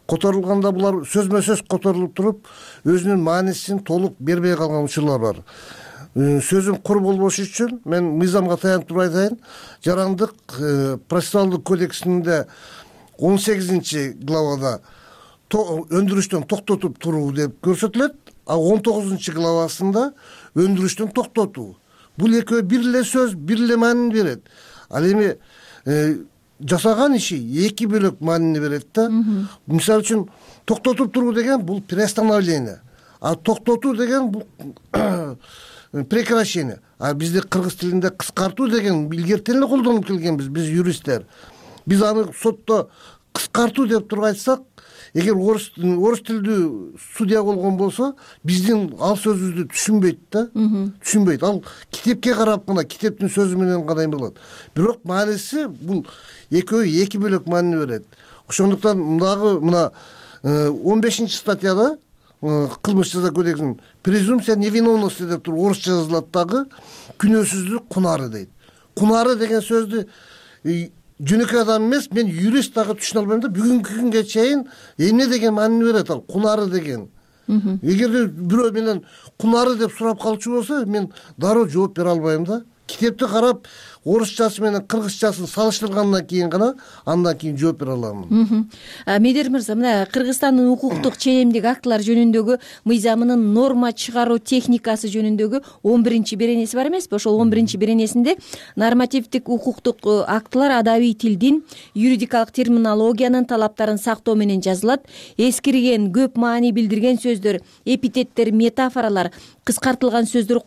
Speaker 22: Которулганда булар сөзмө сөз которулуп туруп, өзүнүн маанисин толук бербей калган учурлар бар. Сөзүм кур болбошу үчүн мен мыйзамга таянып туруп айтайын. Жарандык процессуалдык кодексинде 18-главада өндүрүштөн токтотуп туруу деп көрсөтүлөт, а 19-главасында өндүрүштөн токтотуу. Бул экөө бир эле сөз, бир эле маанини берет. Ал эми жасаган иши эки бөлөк маанини берет да. Мисалы үчүн токтотуп туруу деген бул приостановление, а токтотуу деген бул прекращение. А бизде кыргыз тилинде кыскартуу деген илгертен эле колдонуп келгенбиз биз юристтер. Биз аны сотто кыскартуу деп туруп айтсак, эгер орус тилдүү судья болгон болсо, биздин ал сөзүбүздү түшүнбөйт да. Түшүнбөйт. Ал китепке карап гана, китептин сөзү менен гана болот. Бирок мааниси бул экөө эки бөлөк маанини берет. Ошондуктан дагы мына 15-статьяда кылмыш жаза кодексинин презумпция невиновности деп туруп орусча жазылат дагы, күнөөсүздүк кунары дейт. Кунары деген сөздү жөнөкөй адам эмес, мен юрист дагы түшүнө албайм да. Бүгүнкү күнгө чейин эмне деген маанини берет ал кунары деген. Эгерде бирөө менен кунары деп сурап калчу болсо, мен дароо жооп бере албайм да. Китепти карап орусчасы менен кыргызчасын салыштыргандан кийин гана андан кийин жооп бере аламын.
Speaker 2: Медер мырза, мына Кыргызстандын укуктук ченемдик актылар жөнүндөгү мыйзамынын норма чыгаруу техникасы жөнүндөгү 11 беренеси бар эмеспи? Ошол 11 беренесинде нормативдик укуктук актылар адабий тилдин, юридикалык терминологиянын талаптарын сактоо менен жазылат. Эскирген, көп маани билдирген сөздөр, эпитеттер, метафоралар, кыскартылган сөздөр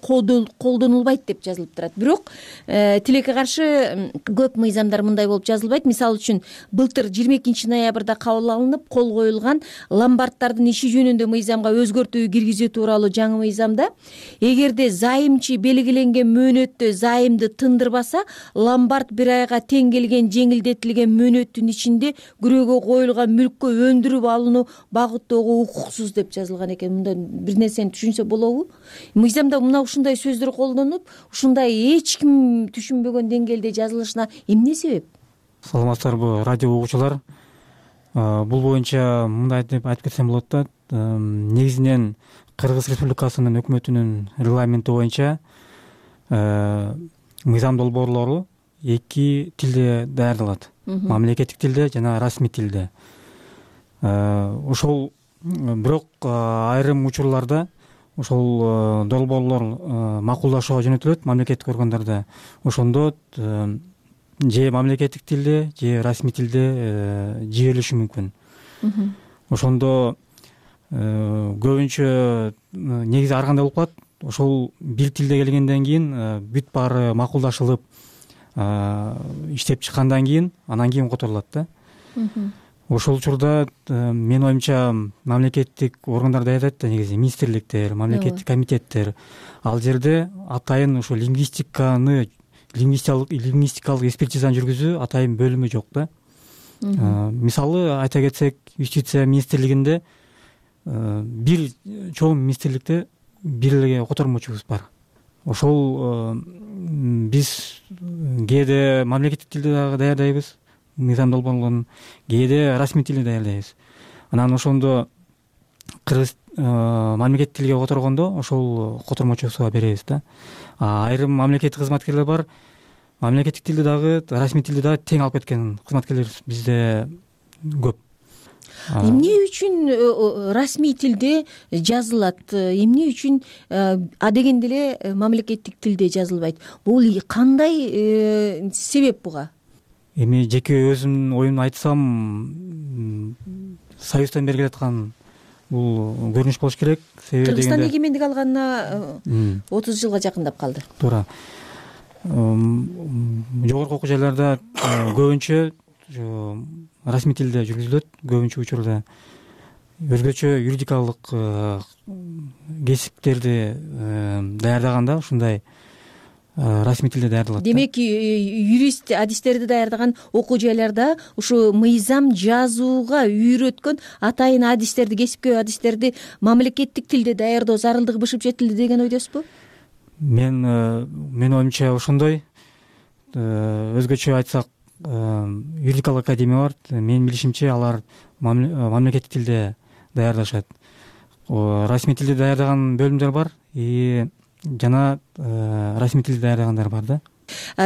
Speaker 2: колдонулбайт деп жазылып турат. Бирок тилекке каршы көп мыйзамдар мындай болуп жазылбайт. Мисалы үчүн былтыр 22 ноябрда кабыл алынып кол коюлган ломбарддардын иши жөнүндө мыйзамга өзгөртүү киргизүү тууралуу жаңы мыйзамда эгерде зайымчы белгиленген мөөнөттө зайымды тындырбаса, ломбард бир айга тең келген жеңилдетилген мөөнөттүн ичинде күрөөгө коюлган мүлккө өндүрүп алууну багыттоого укуксуз деп жазылган экен. Мындай бир нерсени түшүнсө болобу? Мыйзамда мына ушундай сөздөр колдонуп, ушундай эч ким түшүнбөгөн деңгээлде жазылышына эмне себеп?
Speaker 23: Саламатсыздарбы радио угуучулар. Бул боюнча мындай деп айтып кетсем болот да, негизинен Кыргыз Республикасынын өкмөтүнүн регламенти боюнча мыйзам долбоорлору 2 тилде даярдалат. Мамлекеттик тилде жана расмий тилде. Ошол бирок айрым учурларда ошол долбоорлор макулдашууга жөнөтүлөт мамлекеттик органдарда. Ошондо же мамлекеттик тилде, же расмий тилде жиберилиши мүмкүн. Ошондо көбүнчө негизи ар кандай болуп калат. Ошол бир тилде келгенден кийин бүт баары макулдашылып иштеп чыккандан кийин анан кийин которулат да. Ошол учурда менин оюмча мамлекеттик органдар даярдайт да, негизи министрликтер, мамлекеттик комитеттер. Ал жерде атайын ошо лингвистикалык экспертизаны жүргүзүү атайын бөлүмү жок да. Мисалы айта кетсек, юстиция министрлигинде бир чоң министрликте бир эле котормочубуз бар. Ошол биз кээде мамлекеттик тилде дагы даярдайбыз мыйзам долбоорлорун, кээде расмий тилде даярдайбыз. Анан ошондо кыргыз мамлекеттик тилге которгондо ошол котормочубузга беребиз да. Айрым мамлекеттик кызматкерлер бар. Мамлекеттик тилде дагы, расмий тилде дагы тең алып кеткен кызматкерлер бизде көп.
Speaker 2: Эмне үчүн расмий тилде жазылат? Эмне үчүн адегенде эле мамлекеттик тилде жазылбайт? Бул кандай себеп буга?
Speaker 23: Эми жеке өзүмдүн оюмду айтсам, Союздан бери келаткан бул көрүнүш болуш керек.
Speaker 2: Кыргызстан эгемендик алганына 30 жылга жакындап калды.
Speaker 23: Туура. Жогорку окуу жайларда көбүнчө расмий тилде жүргүзүлөт, көбүнчө учурда. Өзгөчө юридикалык кесиптерди даярдаганда ушундай расмий тилде даярдалат.
Speaker 2: Демек, юрист адистерди даярдаган окуу жайларда ушу мыйзам жазууга үйрөткөн атайын адистерди, кесипкөй адистерди мамлекеттик тилде даярдоо зарылдыгы бышып жетилди деген ойдосузбу?
Speaker 23: Менин оюмча ошондой. Өзгөчө айтсак, юридикалык академия бар. Менин билишимче алар мамлекеттик тилде даярдашат. Расмий тилде даярдаган бөлүмдөр бар, жана расмий тилде даярдагандар бар да.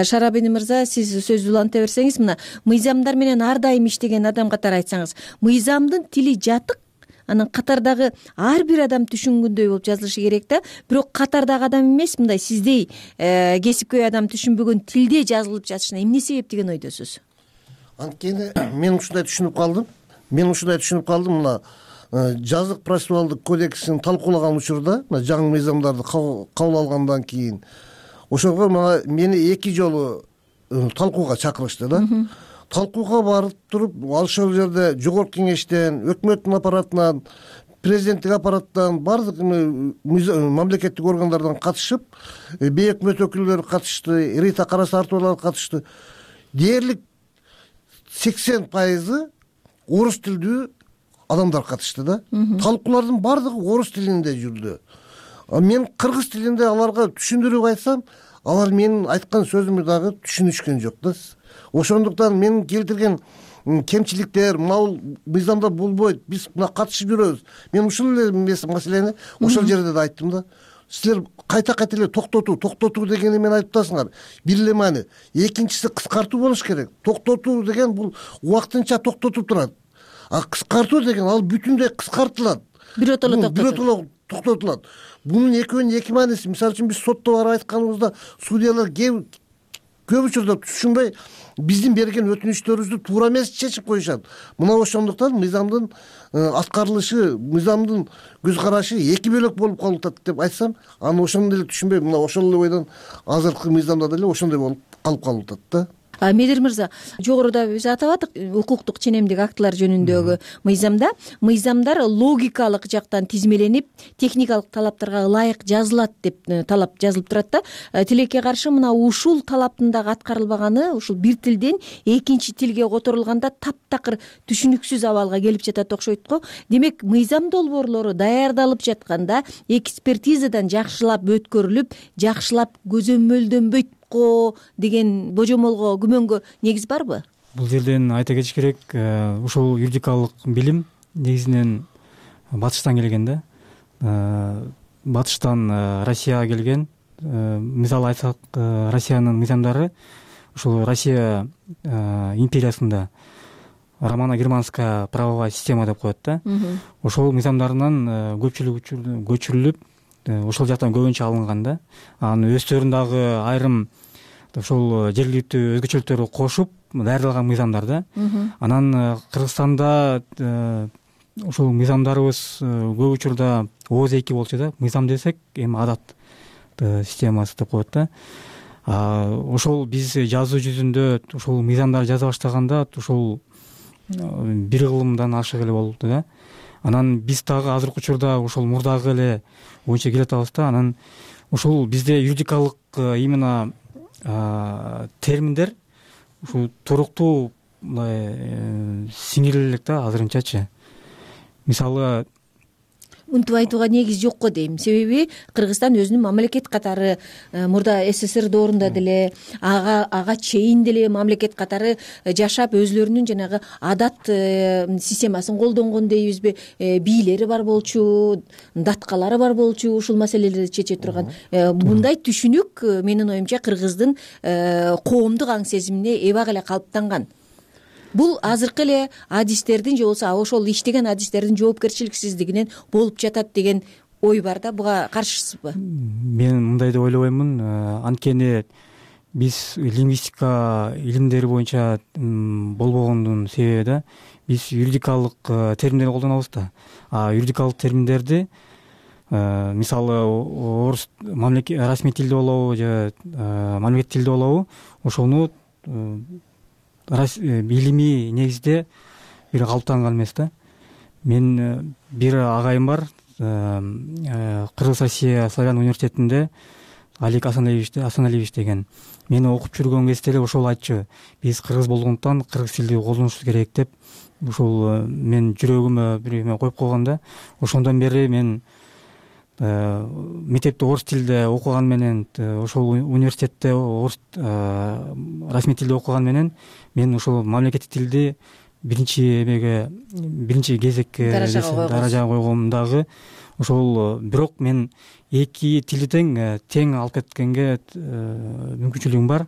Speaker 2: Шарабини мырза, сиз сөздү уланта берсеңиз, мына мыйзамдар менен ар дайым иштеген адам катары айтсаңыз, мыйзамдын тили жатык, анан катардагы ар бир адам түшүнгөндөй болуп жазылышы керек да. Бирок катардагы адам эмес, мындай сиздей кесипкөй адам түшүнбөгөн тилде жазылып жатышына эмне себеп деген ойдосуз?
Speaker 22: Анткени мен ушундай түшүнүп калдым. Мына жазык процессуалдык кодексин талкуулаган учурда, мына жаңы мыйзамдарды кабыл алгандан кийин ошого мени 2 жолу талкууга чакырышты да. Талкууга барып туруп, ошол жерде жогорку кеңештен, өкмөттүн аппаратынан, президенттик аппараттан, бардык мамлекеттик органдардан катышып, бейөкмөт өкүлдөрү катышты, Рита Карасартовалар катышты. Дээрлик 80% орус тилдүү адамдар катышты да. Талкуулардын бардыгы орус тилинде жүрдү. Мен кыргыз тилинде аларга түшүндүрүп айтсам, алар менин айткан сөзүмдү дагы түшүнүшкөн жок да. Ошондуктан мен келтирген кемчиликтер, мыйзамда болбойт, биз мына катышып жүрөбүз. Мен ушул эле маселени ошол жерде да айттым да. силер кайта эле токтотуу деген эмени айтып атасыңар. Бир эле маани. Экинчиси кыскартуу болуш керек. Токтотуу деген бул убактынча токтотуп турат. А кыскартуу деген ал бүтүндөй кыскартылат. Биротоло токтотулат. Бунун экөөнүн эки мааниси. Мисалы үчүн биз сотто барып айтканыбызда судьялар көп учурда түшүнбөй биздин берген өтүнүчтөрүбүздү туура эмес чечип коюшат. Мына ошондуктан мыйзамдын аткарылышы, мыйзамдын көз карашы эки бөлөк болуп калып атат деп айтсам, аны ошондой эле түшүнбөй, мына ошол эле ойдон азыркы мыйзамда деле ошондой болуп калып атат да.
Speaker 2: Медер мырза, жогоруда биз атабадык укуктук ченемдик актылар жөнүндөгү мыйзамдар логикалык жактан тизмеленип, техникалык талаптарга ылайык жазылат деп талап жазылып турат да. Тилекке каршы мына ушул талаптын дагы аткарылбаганы ушул бир тилден экинчи тилге которулганда таптакыр түшүнүксүз абалга келип жатат окшойт го. Демек, мыйзам долбоорлору даярдалып жатканда экспертизадан жакшылап өткөрүлүп, жакшылап көзөмөлдөнбөйт деген божомолго, күмөнгө негиз барбы?
Speaker 23: Бул жерден айта кетиш керек, ушул юридикалык билим негизинен батыштан келген да. Батыштан Россияга келген. Мисалы айтсак, Россиянын мыйзамдары ушул Россия империясында романо-германская правовая система деп коет да. Ошол мыйзамдарынан көпчүлүгү көчүрүлүп, ошол жактан көбүнчө алынган да. Анын өздөрүн дагы айрым ошол жергиликтүү өзгөчөлүктөрү кошуп даярдалган мыйзамдар да. Анан Кыргызстанда ошол мыйзамдарыбыз көп учурда ооз-эки болчу да. Мыйзам десек эми адат системасы деп коет да. Ошол биз жазуу жүзүндө ошол мыйзамдар жаза баштаганда ошол бир кылымдан ашык эле болду да. Анан биз дагы азыркы учурда ошол мурдагы эле боюнча келатабыз да. Анан ушул бизде юридикалык именно терминдер ушул туруктуу сиңириле элек да азырынчачы. Мисалы
Speaker 2: Унтуп айтууга негиз жок го дейм. Себеби Кыргызстан өзүнүн мамлекет катары мурда СССР доорунда деле ага чейин деле мамлекет катары жашап, өзлөрүнүн жанагы адат системасын колдонгон дейбизби, бийлери бар болчу, даткалары бар болчу, ушул маселелерди чече турган. Мындай түшүнүк менин оюмча Кыргыздын коомдук аң сезимине эбак эле калыптанган. Бул азыркы эле адистердин же болбосо ошол иштеген адистердин жоопкерчиликсиздигинен болуп жатат деген ой бар да. Буга каршысызбы?
Speaker 23: Мен мындай деп ойлобоймун. Анткени биз лингвистика илимдери боюнча болбогондун себеби да, биз юридикалык терминдерди колдонобуз да. Юридикалык терминдерди мисалы орус расмий тилде болобу же мамлекеттик тилде болобу, ошону илимий негизде бир калыптанган эмес да. Мен бир агайым бар, Кыргыз Россия славян университетинде Алик Асаналиевич деген. Мени окуп жүргөн кезде эле ошол айтчу. Биз кыргыз болгондуктан кыргыз тилди колдонушубуз керек деп. Ошол мен жүрөгүмө бир эме коюп койгон да. Ошондон бери мен мектепте орус тилде окуган менен, ошол университетте орус расмий тилде окуган менен мен ошол мамлекеттик тилди биринчи кезекке даражага койгом дагы. Ошол бирок мен эки тилди тең алып кеткенге мүмкүнчүлүгүм бар.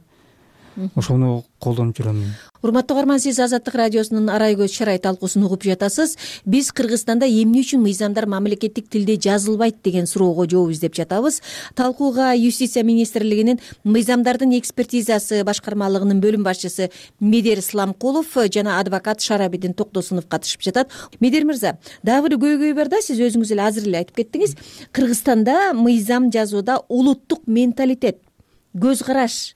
Speaker 23: Ошону колдонуп жүрөм.
Speaker 2: Урматтуу угарман, сиз Азаттык радиосунун арай көз шарай талкуусун угуп жатасыз. Биз Кыргызстанда эмне үчүн мыйзамдар мамлекеттик тилде жазылбайт деген суроого жооп издеп жатабыз. Талкууга Юстиция министрлигинин мыйзамдардын экспертизасы башкармалыгынын бөлүм башчысы Медер Сламкулов жана адвокат Шарабидин Токтосунов катышып жатат. Медер мырза, дагы бир көйгөй бар да, сиз өзүңүз эле азыр эле айтып кеттиңиз. Кыргызстанда мыйзам жазууда улуттук менталитет, көз караш,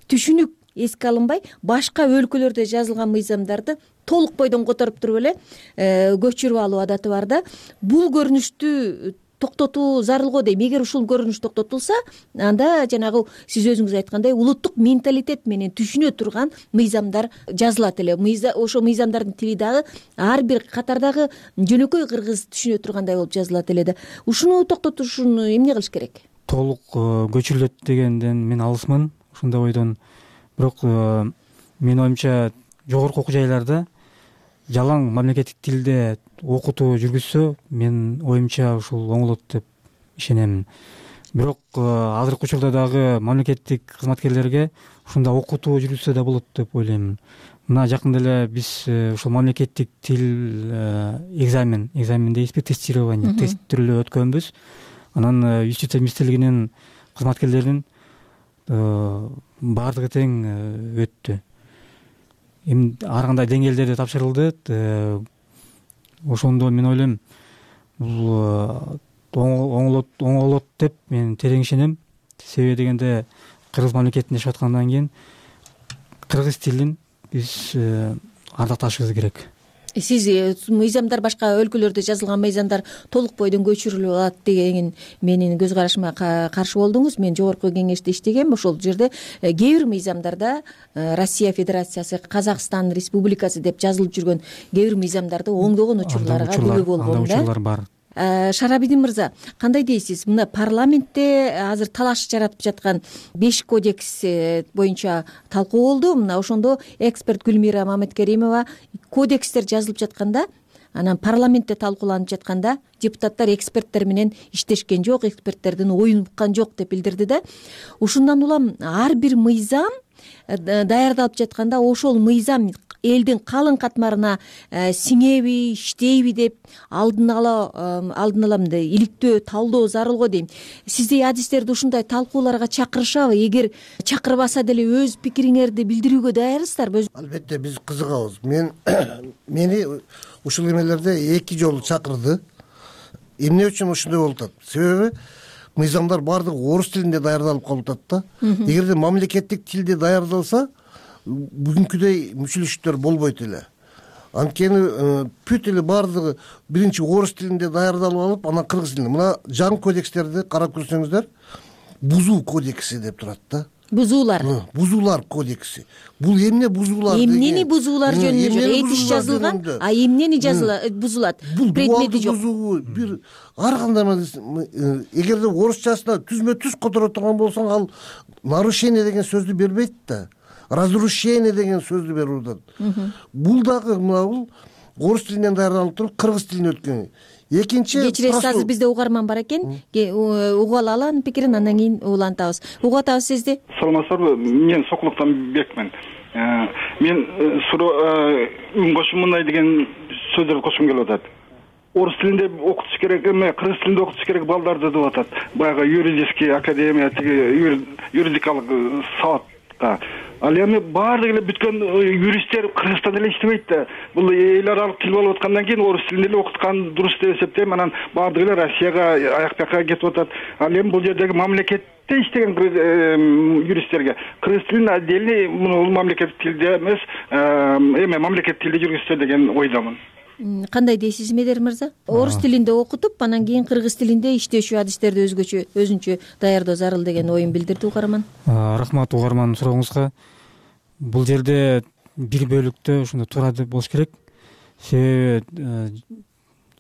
Speaker 2: түшүнүк эске алынбай, башка өлкөлөрдө жазылган мыйзамдарды толук бойдон которуп туруп эле көчүрүп алуу адаты бар да. Бул көрүнүштү токтотуу зарыл го дейм. Эгер ушул көрүнүш токтотулса, анда жанагы сиз өзүңүз айткандай улуттук менталитет менен түшүнө турган мыйзамдар жазылат эле. Ошо мыйзамдардын тили дагы ар бир катардагы жөнөкөй кыргыз түшүнө тургандай болуп жазылат эле да. Ушуну токтотуш үчүн эмне кылыш керек?
Speaker 23: Толук көчүрүлөт дегенден мен алысмын, ушундай ойдон. Бирок менин оюмча жогорку окуу жайларда жалаң мамлекеттик тилде окутуу жүргүзсө, мен оюмча ушул оңолот деп ишенем. бирок азыркы учурда дагы мамлекеттик кызматкерлерге ушундай окутуу жүргүзсө да болот деп ойлойм. Мына жакында эле биз ушул мамлекеттик тил экзамен дейбизби, тестирование тест түрүлүп өткөнбүз. Анан юстиция министрлигинин кызматкерлеринин баардыгы тең өттү. Эми ар кандай деңгээлдерде тапшырылды. Ошондо мен ойлойм бул оңолот деп мен терең ишенем. Себеби дегенде кыргыз мамлекетинде жашап аткандан кийин кыргыз тилин биз ардакташыбыз керек.
Speaker 2: Сиз мыйзамдар башка өлкөлөрдө жазылган мыйзамдар толук бойдон көчүрүлүп алат деген менин көз карашыма каршы болдуңуз. Мен жогорку кеңеште иштегем. Ошол жерде кээ бир мыйзамдарда Россия Федерациясы, Казакстан Республикасы деп жазылып жүргөн кээ бир мыйзамдарды оңдогон учурларга күбө болгон да.
Speaker 23: Учурлар бар.
Speaker 2: Шарабидин мырза, кандай дейсиз? Мына парламентте азыр талаш жаратып жаткан 5 кодекс боюнча талкуу болду. Мына ошондо эксперт Гүлмира Маметкеримова кодекстер жазылып жатканда, анан парламентте талкууланып жатканда депутаттар эксперттер менен иштешкен жок, эксперттердин оюн уккан жок деп билдирди да. Ушундан улам ар бир мыйзам даярдалып жатканда ошол мыйзам элдин калың катмарына сиңеби, иштейби деп алдын ала мындай иликтөө, талдоо зарыл го дейм. Сиздей адистерди ушундай талкууларга чакырышабы? Эгер чакырбаса деле өз пикириңерди билдирүүгө даярсыздарбы?
Speaker 22: Албетте биз кызыгабыз. Мени ушул эмелерде 2 жолу чакырды. Эмне үчүн ушундай болуп атат? Себеби мыйзамдар баардыгы орус тилинде даярдалып калып атат да. Эгерде мамлекеттик тилде даярдалса, бүгүнкүдөй мүчүлүштөр болбойт эле. Анткени бүт эле баардыгы биринчи орус тилинде даярдалып алып, анан кыргыз тилинде. Мына жаңы кодекстерди карап көрсөңүздөр, бузуу кодекси деп турат да. Бузуулар кодекси. Бул эмне бузуулар деген?
Speaker 2: Эмнени бузуулар жөнүндө жок, этиш жазылган, эмнени бузулат? Предмети жок.
Speaker 22: Бир ар кандай эгерде орусчасына түзмө-түз которо турган болсоң, ал нарушение деген сөздү бербейт да. Разрушение деген сөздү берип атат. Бул дагы бул орус тилинен даярдалып туруп, кыргыз тилине өткөн. Экинчи,
Speaker 2: кечиресиз, азыр бизде угарман бар экен. Угуп алалы анын пикирин, андан кийин улантабыз. Угуп атабыз сизди.
Speaker 5: Саламатсыздарбы? Мен Сокулуктан Бекмин. Мен үн кошумундай деген сөздөрдү кошкум келип атат. Орус тилинде окутуш керек эме, кыргыз тилинде окутуш керек балдарды деп атат. Баягы юридический академия, юридикалык сабатка. Ал эми баардык эле бүткөн юристтер Кыргызстанда эле иштебейт да. Бул эл аралык тил болуп аткандан кийин орус тилинде эле окуткан дурус деп эсептейм. Анан баардык эле Россияга, аяк бияка кетип атат. Ал эми бул жердеги мамлекетте иштеген юристтерге кыргыз тилин отдельный бул мамлекеттик тилде эмес, эме мамлекеттик тилде жүргүзсө деген ойдомун.
Speaker 2: Кандай дейсиз Медер мырза? Орус тилинде окутуп, анан кийин кыргыз тилинде иштөөчү адистерди өзүнчө даярдоо зарыл деген оюн билдирди угарман.
Speaker 23: Рахмат угарман сурооңузга. Бул жерде бир бөлүктө ушундай туура болуш керек. Себеби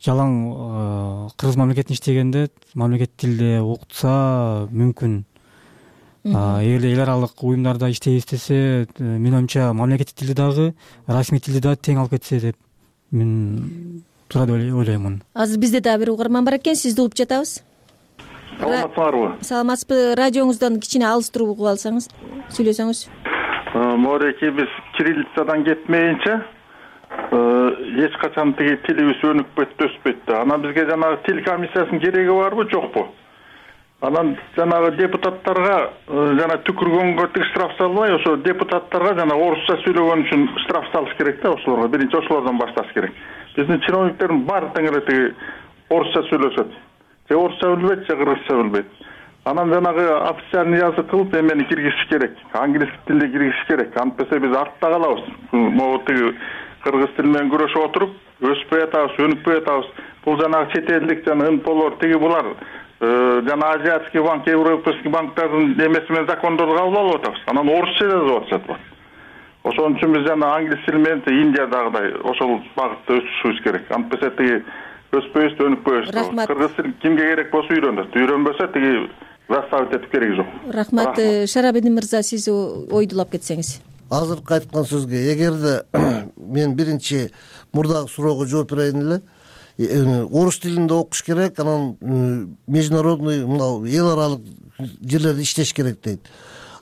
Speaker 23: жалаң кыргыз мамлекетинде иштегенде мамлекет тилде окутса мүмкүн. Эгерде эл аралык уюмдарда иштей истесе, менин оюмча мамлекеттик тилди дагы, расмий тилди дагы тең алып кетсе деп мен туура деп ойлоймун. Азыр
Speaker 2: бизде дагы бир угарман бар экен, сизди угуп жатабыз.
Speaker 5: Саламатсыздарбы?
Speaker 2: Саламатсызбы? Радиоңуздан кичине алыстырып угуп алсаңыз, сүйлөсөңүз.
Speaker 5: Мореки биз кириллицадан кетмейинче эч качан тиги тилибиз өнүкпөйт, өспөйт да. Анан бизге жанагы тил комиссиясынын кереги барбы, жокпу? Анан жанагы депутаттарга жана түкүргөнгө штраф салбай, ошо депутаттарга жана орусча сүйлөгөн үчүн штраф салыш керек да, ошолорго. Биринчи ошолордон башташ керек. Биздин чиновниктердин баары тең эле тиги орусча сүйлөшөт. Же орусча билбейт, же кыргызча билбейт. Анан жанагы официальный язык кылып эмени киргизиш керек. Англис тилде киргизиш керек. Антпесе биз артта калабыз. Могу тиги кыргыз тили менен күрөшүп отуруп, өспөй атабыз, өнүкпөй атабыз. Бул жанагы чет элдик жана НПОлор тиги булар жана азиатский банк, европейский банктардын эмеси менен закондорду кабыл алып атабыз. Анан орусча жазып атышат булар. Ошон үчүн биз жана англис тили менен Индиядагыдай ошол багытта өсүшүбүз керек. Антпесе тиги өспөйбүз, өнүкпөйбүз. Кыргыз тили кимге керек болсо үйрөнөт. Үйрөнбөсө тиги заставить этип кереги жок.
Speaker 2: Рахмат. Шарабидин мырза, сиз ойдулап кетсеңиз.
Speaker 22: Азыркы айткан сөзгө эгерде мен биринчи мурдагы суроого жооп берейин эле. орус тилинде окуш керек, анан международный мына эл аралык жерлерде иштеш керек дейт.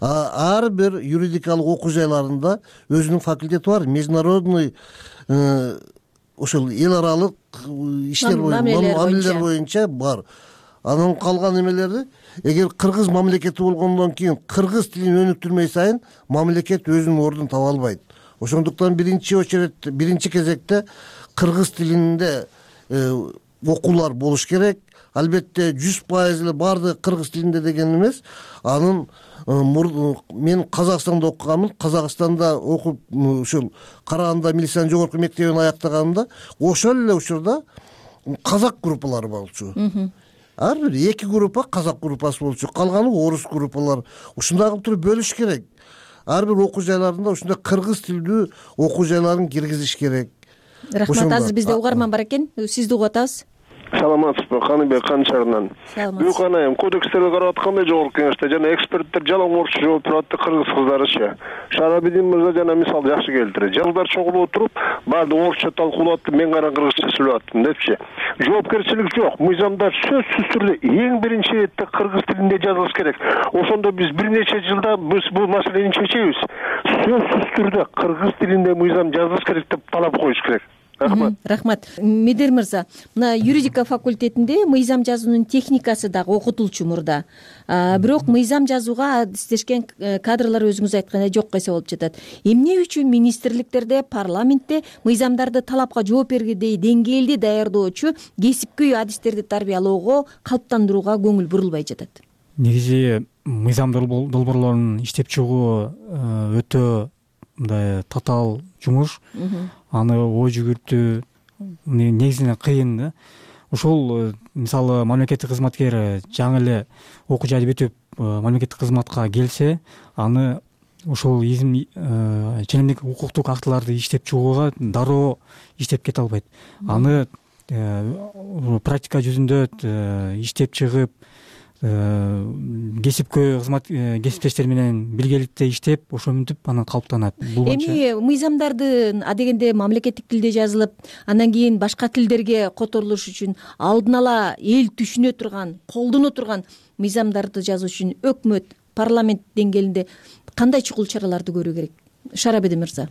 Speaker 22: Ар бир юридикалык окуу жайларында өзүнүн факультети бар, международный ошол эл аралык иштер мамилелер боюнча бар. Анан калган эмелерди эгер кыргыз мамлекети болгондон кийин кыргыз тилин өнүктүрмөй сайын мамлекет өзүнүн ордун таба албайт. Ошондуктан биринчи кезекте кыргыз тилинде окуулар болуш керек. Албетте 100% эле баардыгы кыргыз тилинде деген эмес. Анын мен Казакстанда окуганмын. Казакстанда окуп ушул Караганда милициянын жогорку мектебин аяктаганымда ошол эле учурда казак группалары болчу. Ар бир 2 группа казак группасы болчу, калганы орус группалар. Ушундай кылып туруп бөлүш керек. Ар бир окуу жайларында ушундай кыргыз тилдүү окуу жайларын киргизиш керек.
Speaker 2: Рахмат. Азыр бизде угарман бар экен. Сизди угуп атабыз.
Speaker 25: Саламатсызбы, Каныбек Канчарынан.
Speaker 2: Саламатсыз.
Speaker 25: Канайым, кодекстерди карап атканда жогорку кеңеште жана эксперттер жалаң орусча жооп турат да кыргыз кыздарычы. Шарабидин мырза жана мисал жакшы келтирет. Жылдар чогулуп отуруп, баардыгы орусча талкуулап, мен гана кыргызча сүйлөп аттым депчи. Жоопкерчилик жок. Мыйзамдар сөзсүз түрдө эң биринчи иретте кыргыз тилинде жазылыш керек. Ошондо биз бир нече жылда биз бул маселени чечебиз. Сөзсүз түрдө кыргыз тилинде мыйзам жазылыш керек деп талап коюш керек.
Speaker 2: Рахмат. Медер мырза, мына юридика факультетинде мыйзам жазуунун техникасы дагы окутулчу мурда. Бирок мыйзам жазууга адистешкен кадрлар өзүңүз айткандай жок эсе болуп жатат. Эмне үчүн министрликтерде, парламентте мыйзамдарды талапка жооп бергендей деңгээлде даярдоочу кесипкөй адистерди тарбиялоого, калыптандырууга көңүл бурулбай жатат?
Speaker 23: Негизи мыйзам долбоорлорун иштеп чыгуу өтө мындай татаал жумуш. Аны ой жүгүртүү негизинен кыйын да. Ошол мисалы мамлекеттик кызматкер жаңы эле окуу жайды бүтүп мамлекеттик кызматка келсе, аны ошол ченемдик укуктук актыларды иштеп чыгууга дароо иштеп кете албайт. Аны практика жүзүндө иштеп чыгып, кесиптештер менен биргеликте иштеп, ошентип анан калыптанат.
Speaker 2: Эми мыйзамдарды адегенде мамлекеттик тилде жазылып, андан кийин башка тилдерге которулуш үчүн алдын ала эл түшүнө турган, колдоно турган мыйзамдарды жазуу үчүн өкмөт, парламент деңгээлинде кандай чукул чараларды көрүү керек? Шарабеди мырза.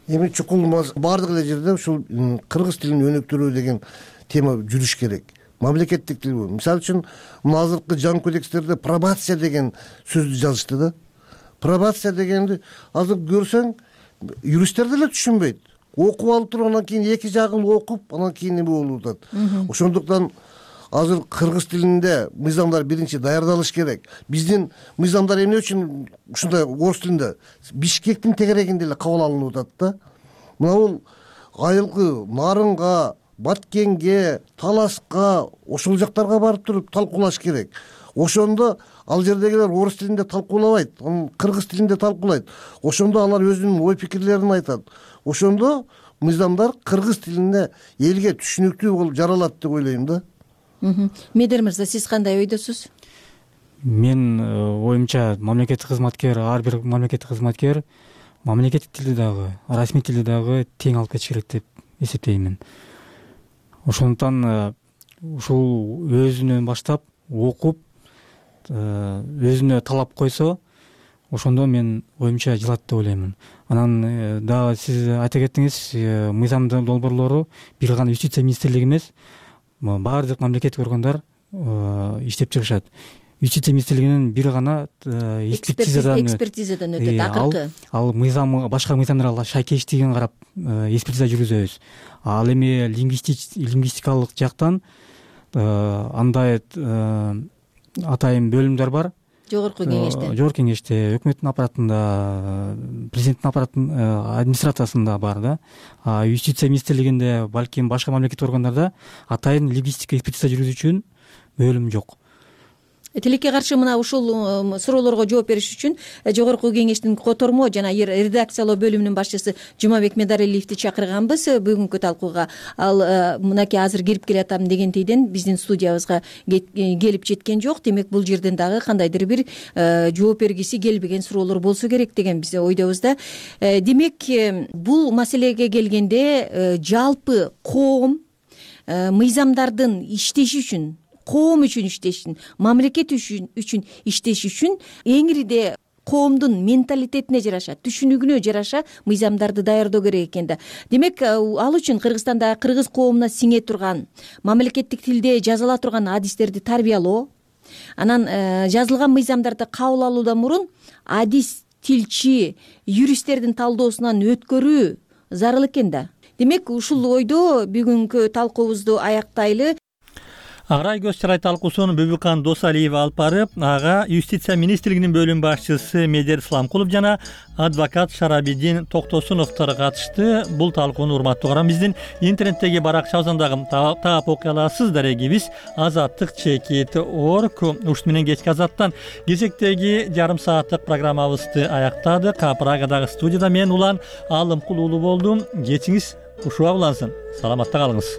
Speaker 22: Эми чукул баардык эле жерде ушул кыргыз тилин өнүктүрүү деген тема жүрүш керек. Мамлекеттик тил бул. Мисалы үчүн, мына азыркы жаңы кодекстерде пробация деген сөздү жазышты да. Пробация дегенди азыр көрсөң, юристтер деле түшүнбөйт. Окуп алып туруп, анан кийин эки жагын окуп, анан кийин эме болуп атат. Ошондуктан азыр кыргыз тилинде мыйзамдар биринчи даярдалыш керек. Биздин мыйзамдар эмне үчүн ушундай орус тилинде Бишкектин тегерегинде эле кабыл алынып атат да. Мына бул айылкы Нарынга, Баткенге, Таласка, ошол жактарга барып туруп талкуулаш керек. Ошондо ал жердегилер орус тилинде талкуулабайт, кыргыз тилинде талкуулайт. Ошондо алар өзүнүн ой пикирлерин айтат. Ошондо мыйзамдар кыргыз тилинде элге түшүнүктүү болуп жаралат деп ойлойм да.
Speaker 2: Медер мырза, сиз кандай ойдосуз?
Speaker 23: Мен оюмча мамлекеттик кызматкер, ар бир мамлекеттик кызматкер мамлекеттик тилди дагы, расмий тилди дагы тең алып кетиш керек деп эсептеймин. Ошондуктан ушул өзүнөн баштап окуп, өзүнө талап койсо, ошондо мен оюмча жылат деп ойлоймун. Анан дагы сиз айта кеттиңиз, мыйзам долбоорлору бир гана юстиция министрлиги эмес, баардык мамлекеттик органдар иштеп чыгышат. Юстиция министрлигинин бир гана экспертизадан
Speaker 2: өтөт акыркы.
Speaker 23: Ал мыйзам башка мыйзамдарга шайкелиштигин карап экспертиза жүргүзөбүз. Ал эми лингвистикалык жактан андай атайын бөлүмдөр бар.
Speaker 2: Жогорку кеңеште.
Speaker 23: Жогорку кеңеште, өкмөттүн аппаратында, президенттин аппаратынын администрациясында бар да. Юстиция министрлигинде, балким башка мамлекеттик органдарда атайын лингвистика экспертиза жүргүзүү үчүн бөлүм жок.
Speaker 2: Тилекке каршы мына ушул суроолорго жооп бериш үчүн жогорку кеңештин котормо жана редакциялоо бөлүмүнүн башчысы Жумабек Медаралиевди чакырганбыз бүгүнкү талкууга. Ал мынакей азыр кирип келатам дегентейден биздин студиябызга келип жеткен жок. Демек бул жерден дагы кандайдыр бир жооп бергиси келбеген суроолор болсо керек деген биз ойдобуз да. Демек бул маселеге келгенде жалпы коом мыйзамдардын иштеши үчүн, коом үчүн иштеш үчүн, мамлекет үчүн иштеш үчүн эңириде коомдун менталитетине жараша, түшүнүгүнө жараша мыйзамдарды даярдоо керек экен да. Демек, ал үчүн Кыргызстанда кыргыз коомуна сиңе турган, мамлекеттик тилде жазыла турган адистерди тарбиялоо, анан жазылган мыйзамдарды кабыл алуудан мурун адис, тилчи, юристтердин талдоосунан өткөрүү зарыл экен да. Демек, ушул ойдо бүгүнкү талкуубузду аяктайлы.
Speaker 1: Аграй көз чарай талкуусун Бүбүкан Досалиева алып барып, ага юстиция министрлигинин бөлүм башчысы Медер Исламкулов жана адвокат Шарабидин Токтосуновдор катышты. Бул талкууну урматтуу угарман, биздин интернеттеги баракчабыздан дагы таап окуй аласыз. Дарегибиз azattik.org. Ушун менен кечки Азаттан кезектеги жарым сааттык программабызды аяктадык. Прагадагы студияда мен Улан Алымкул уулу болдум. Кечиңиз ушуга улансын. Саламатта калыңыз.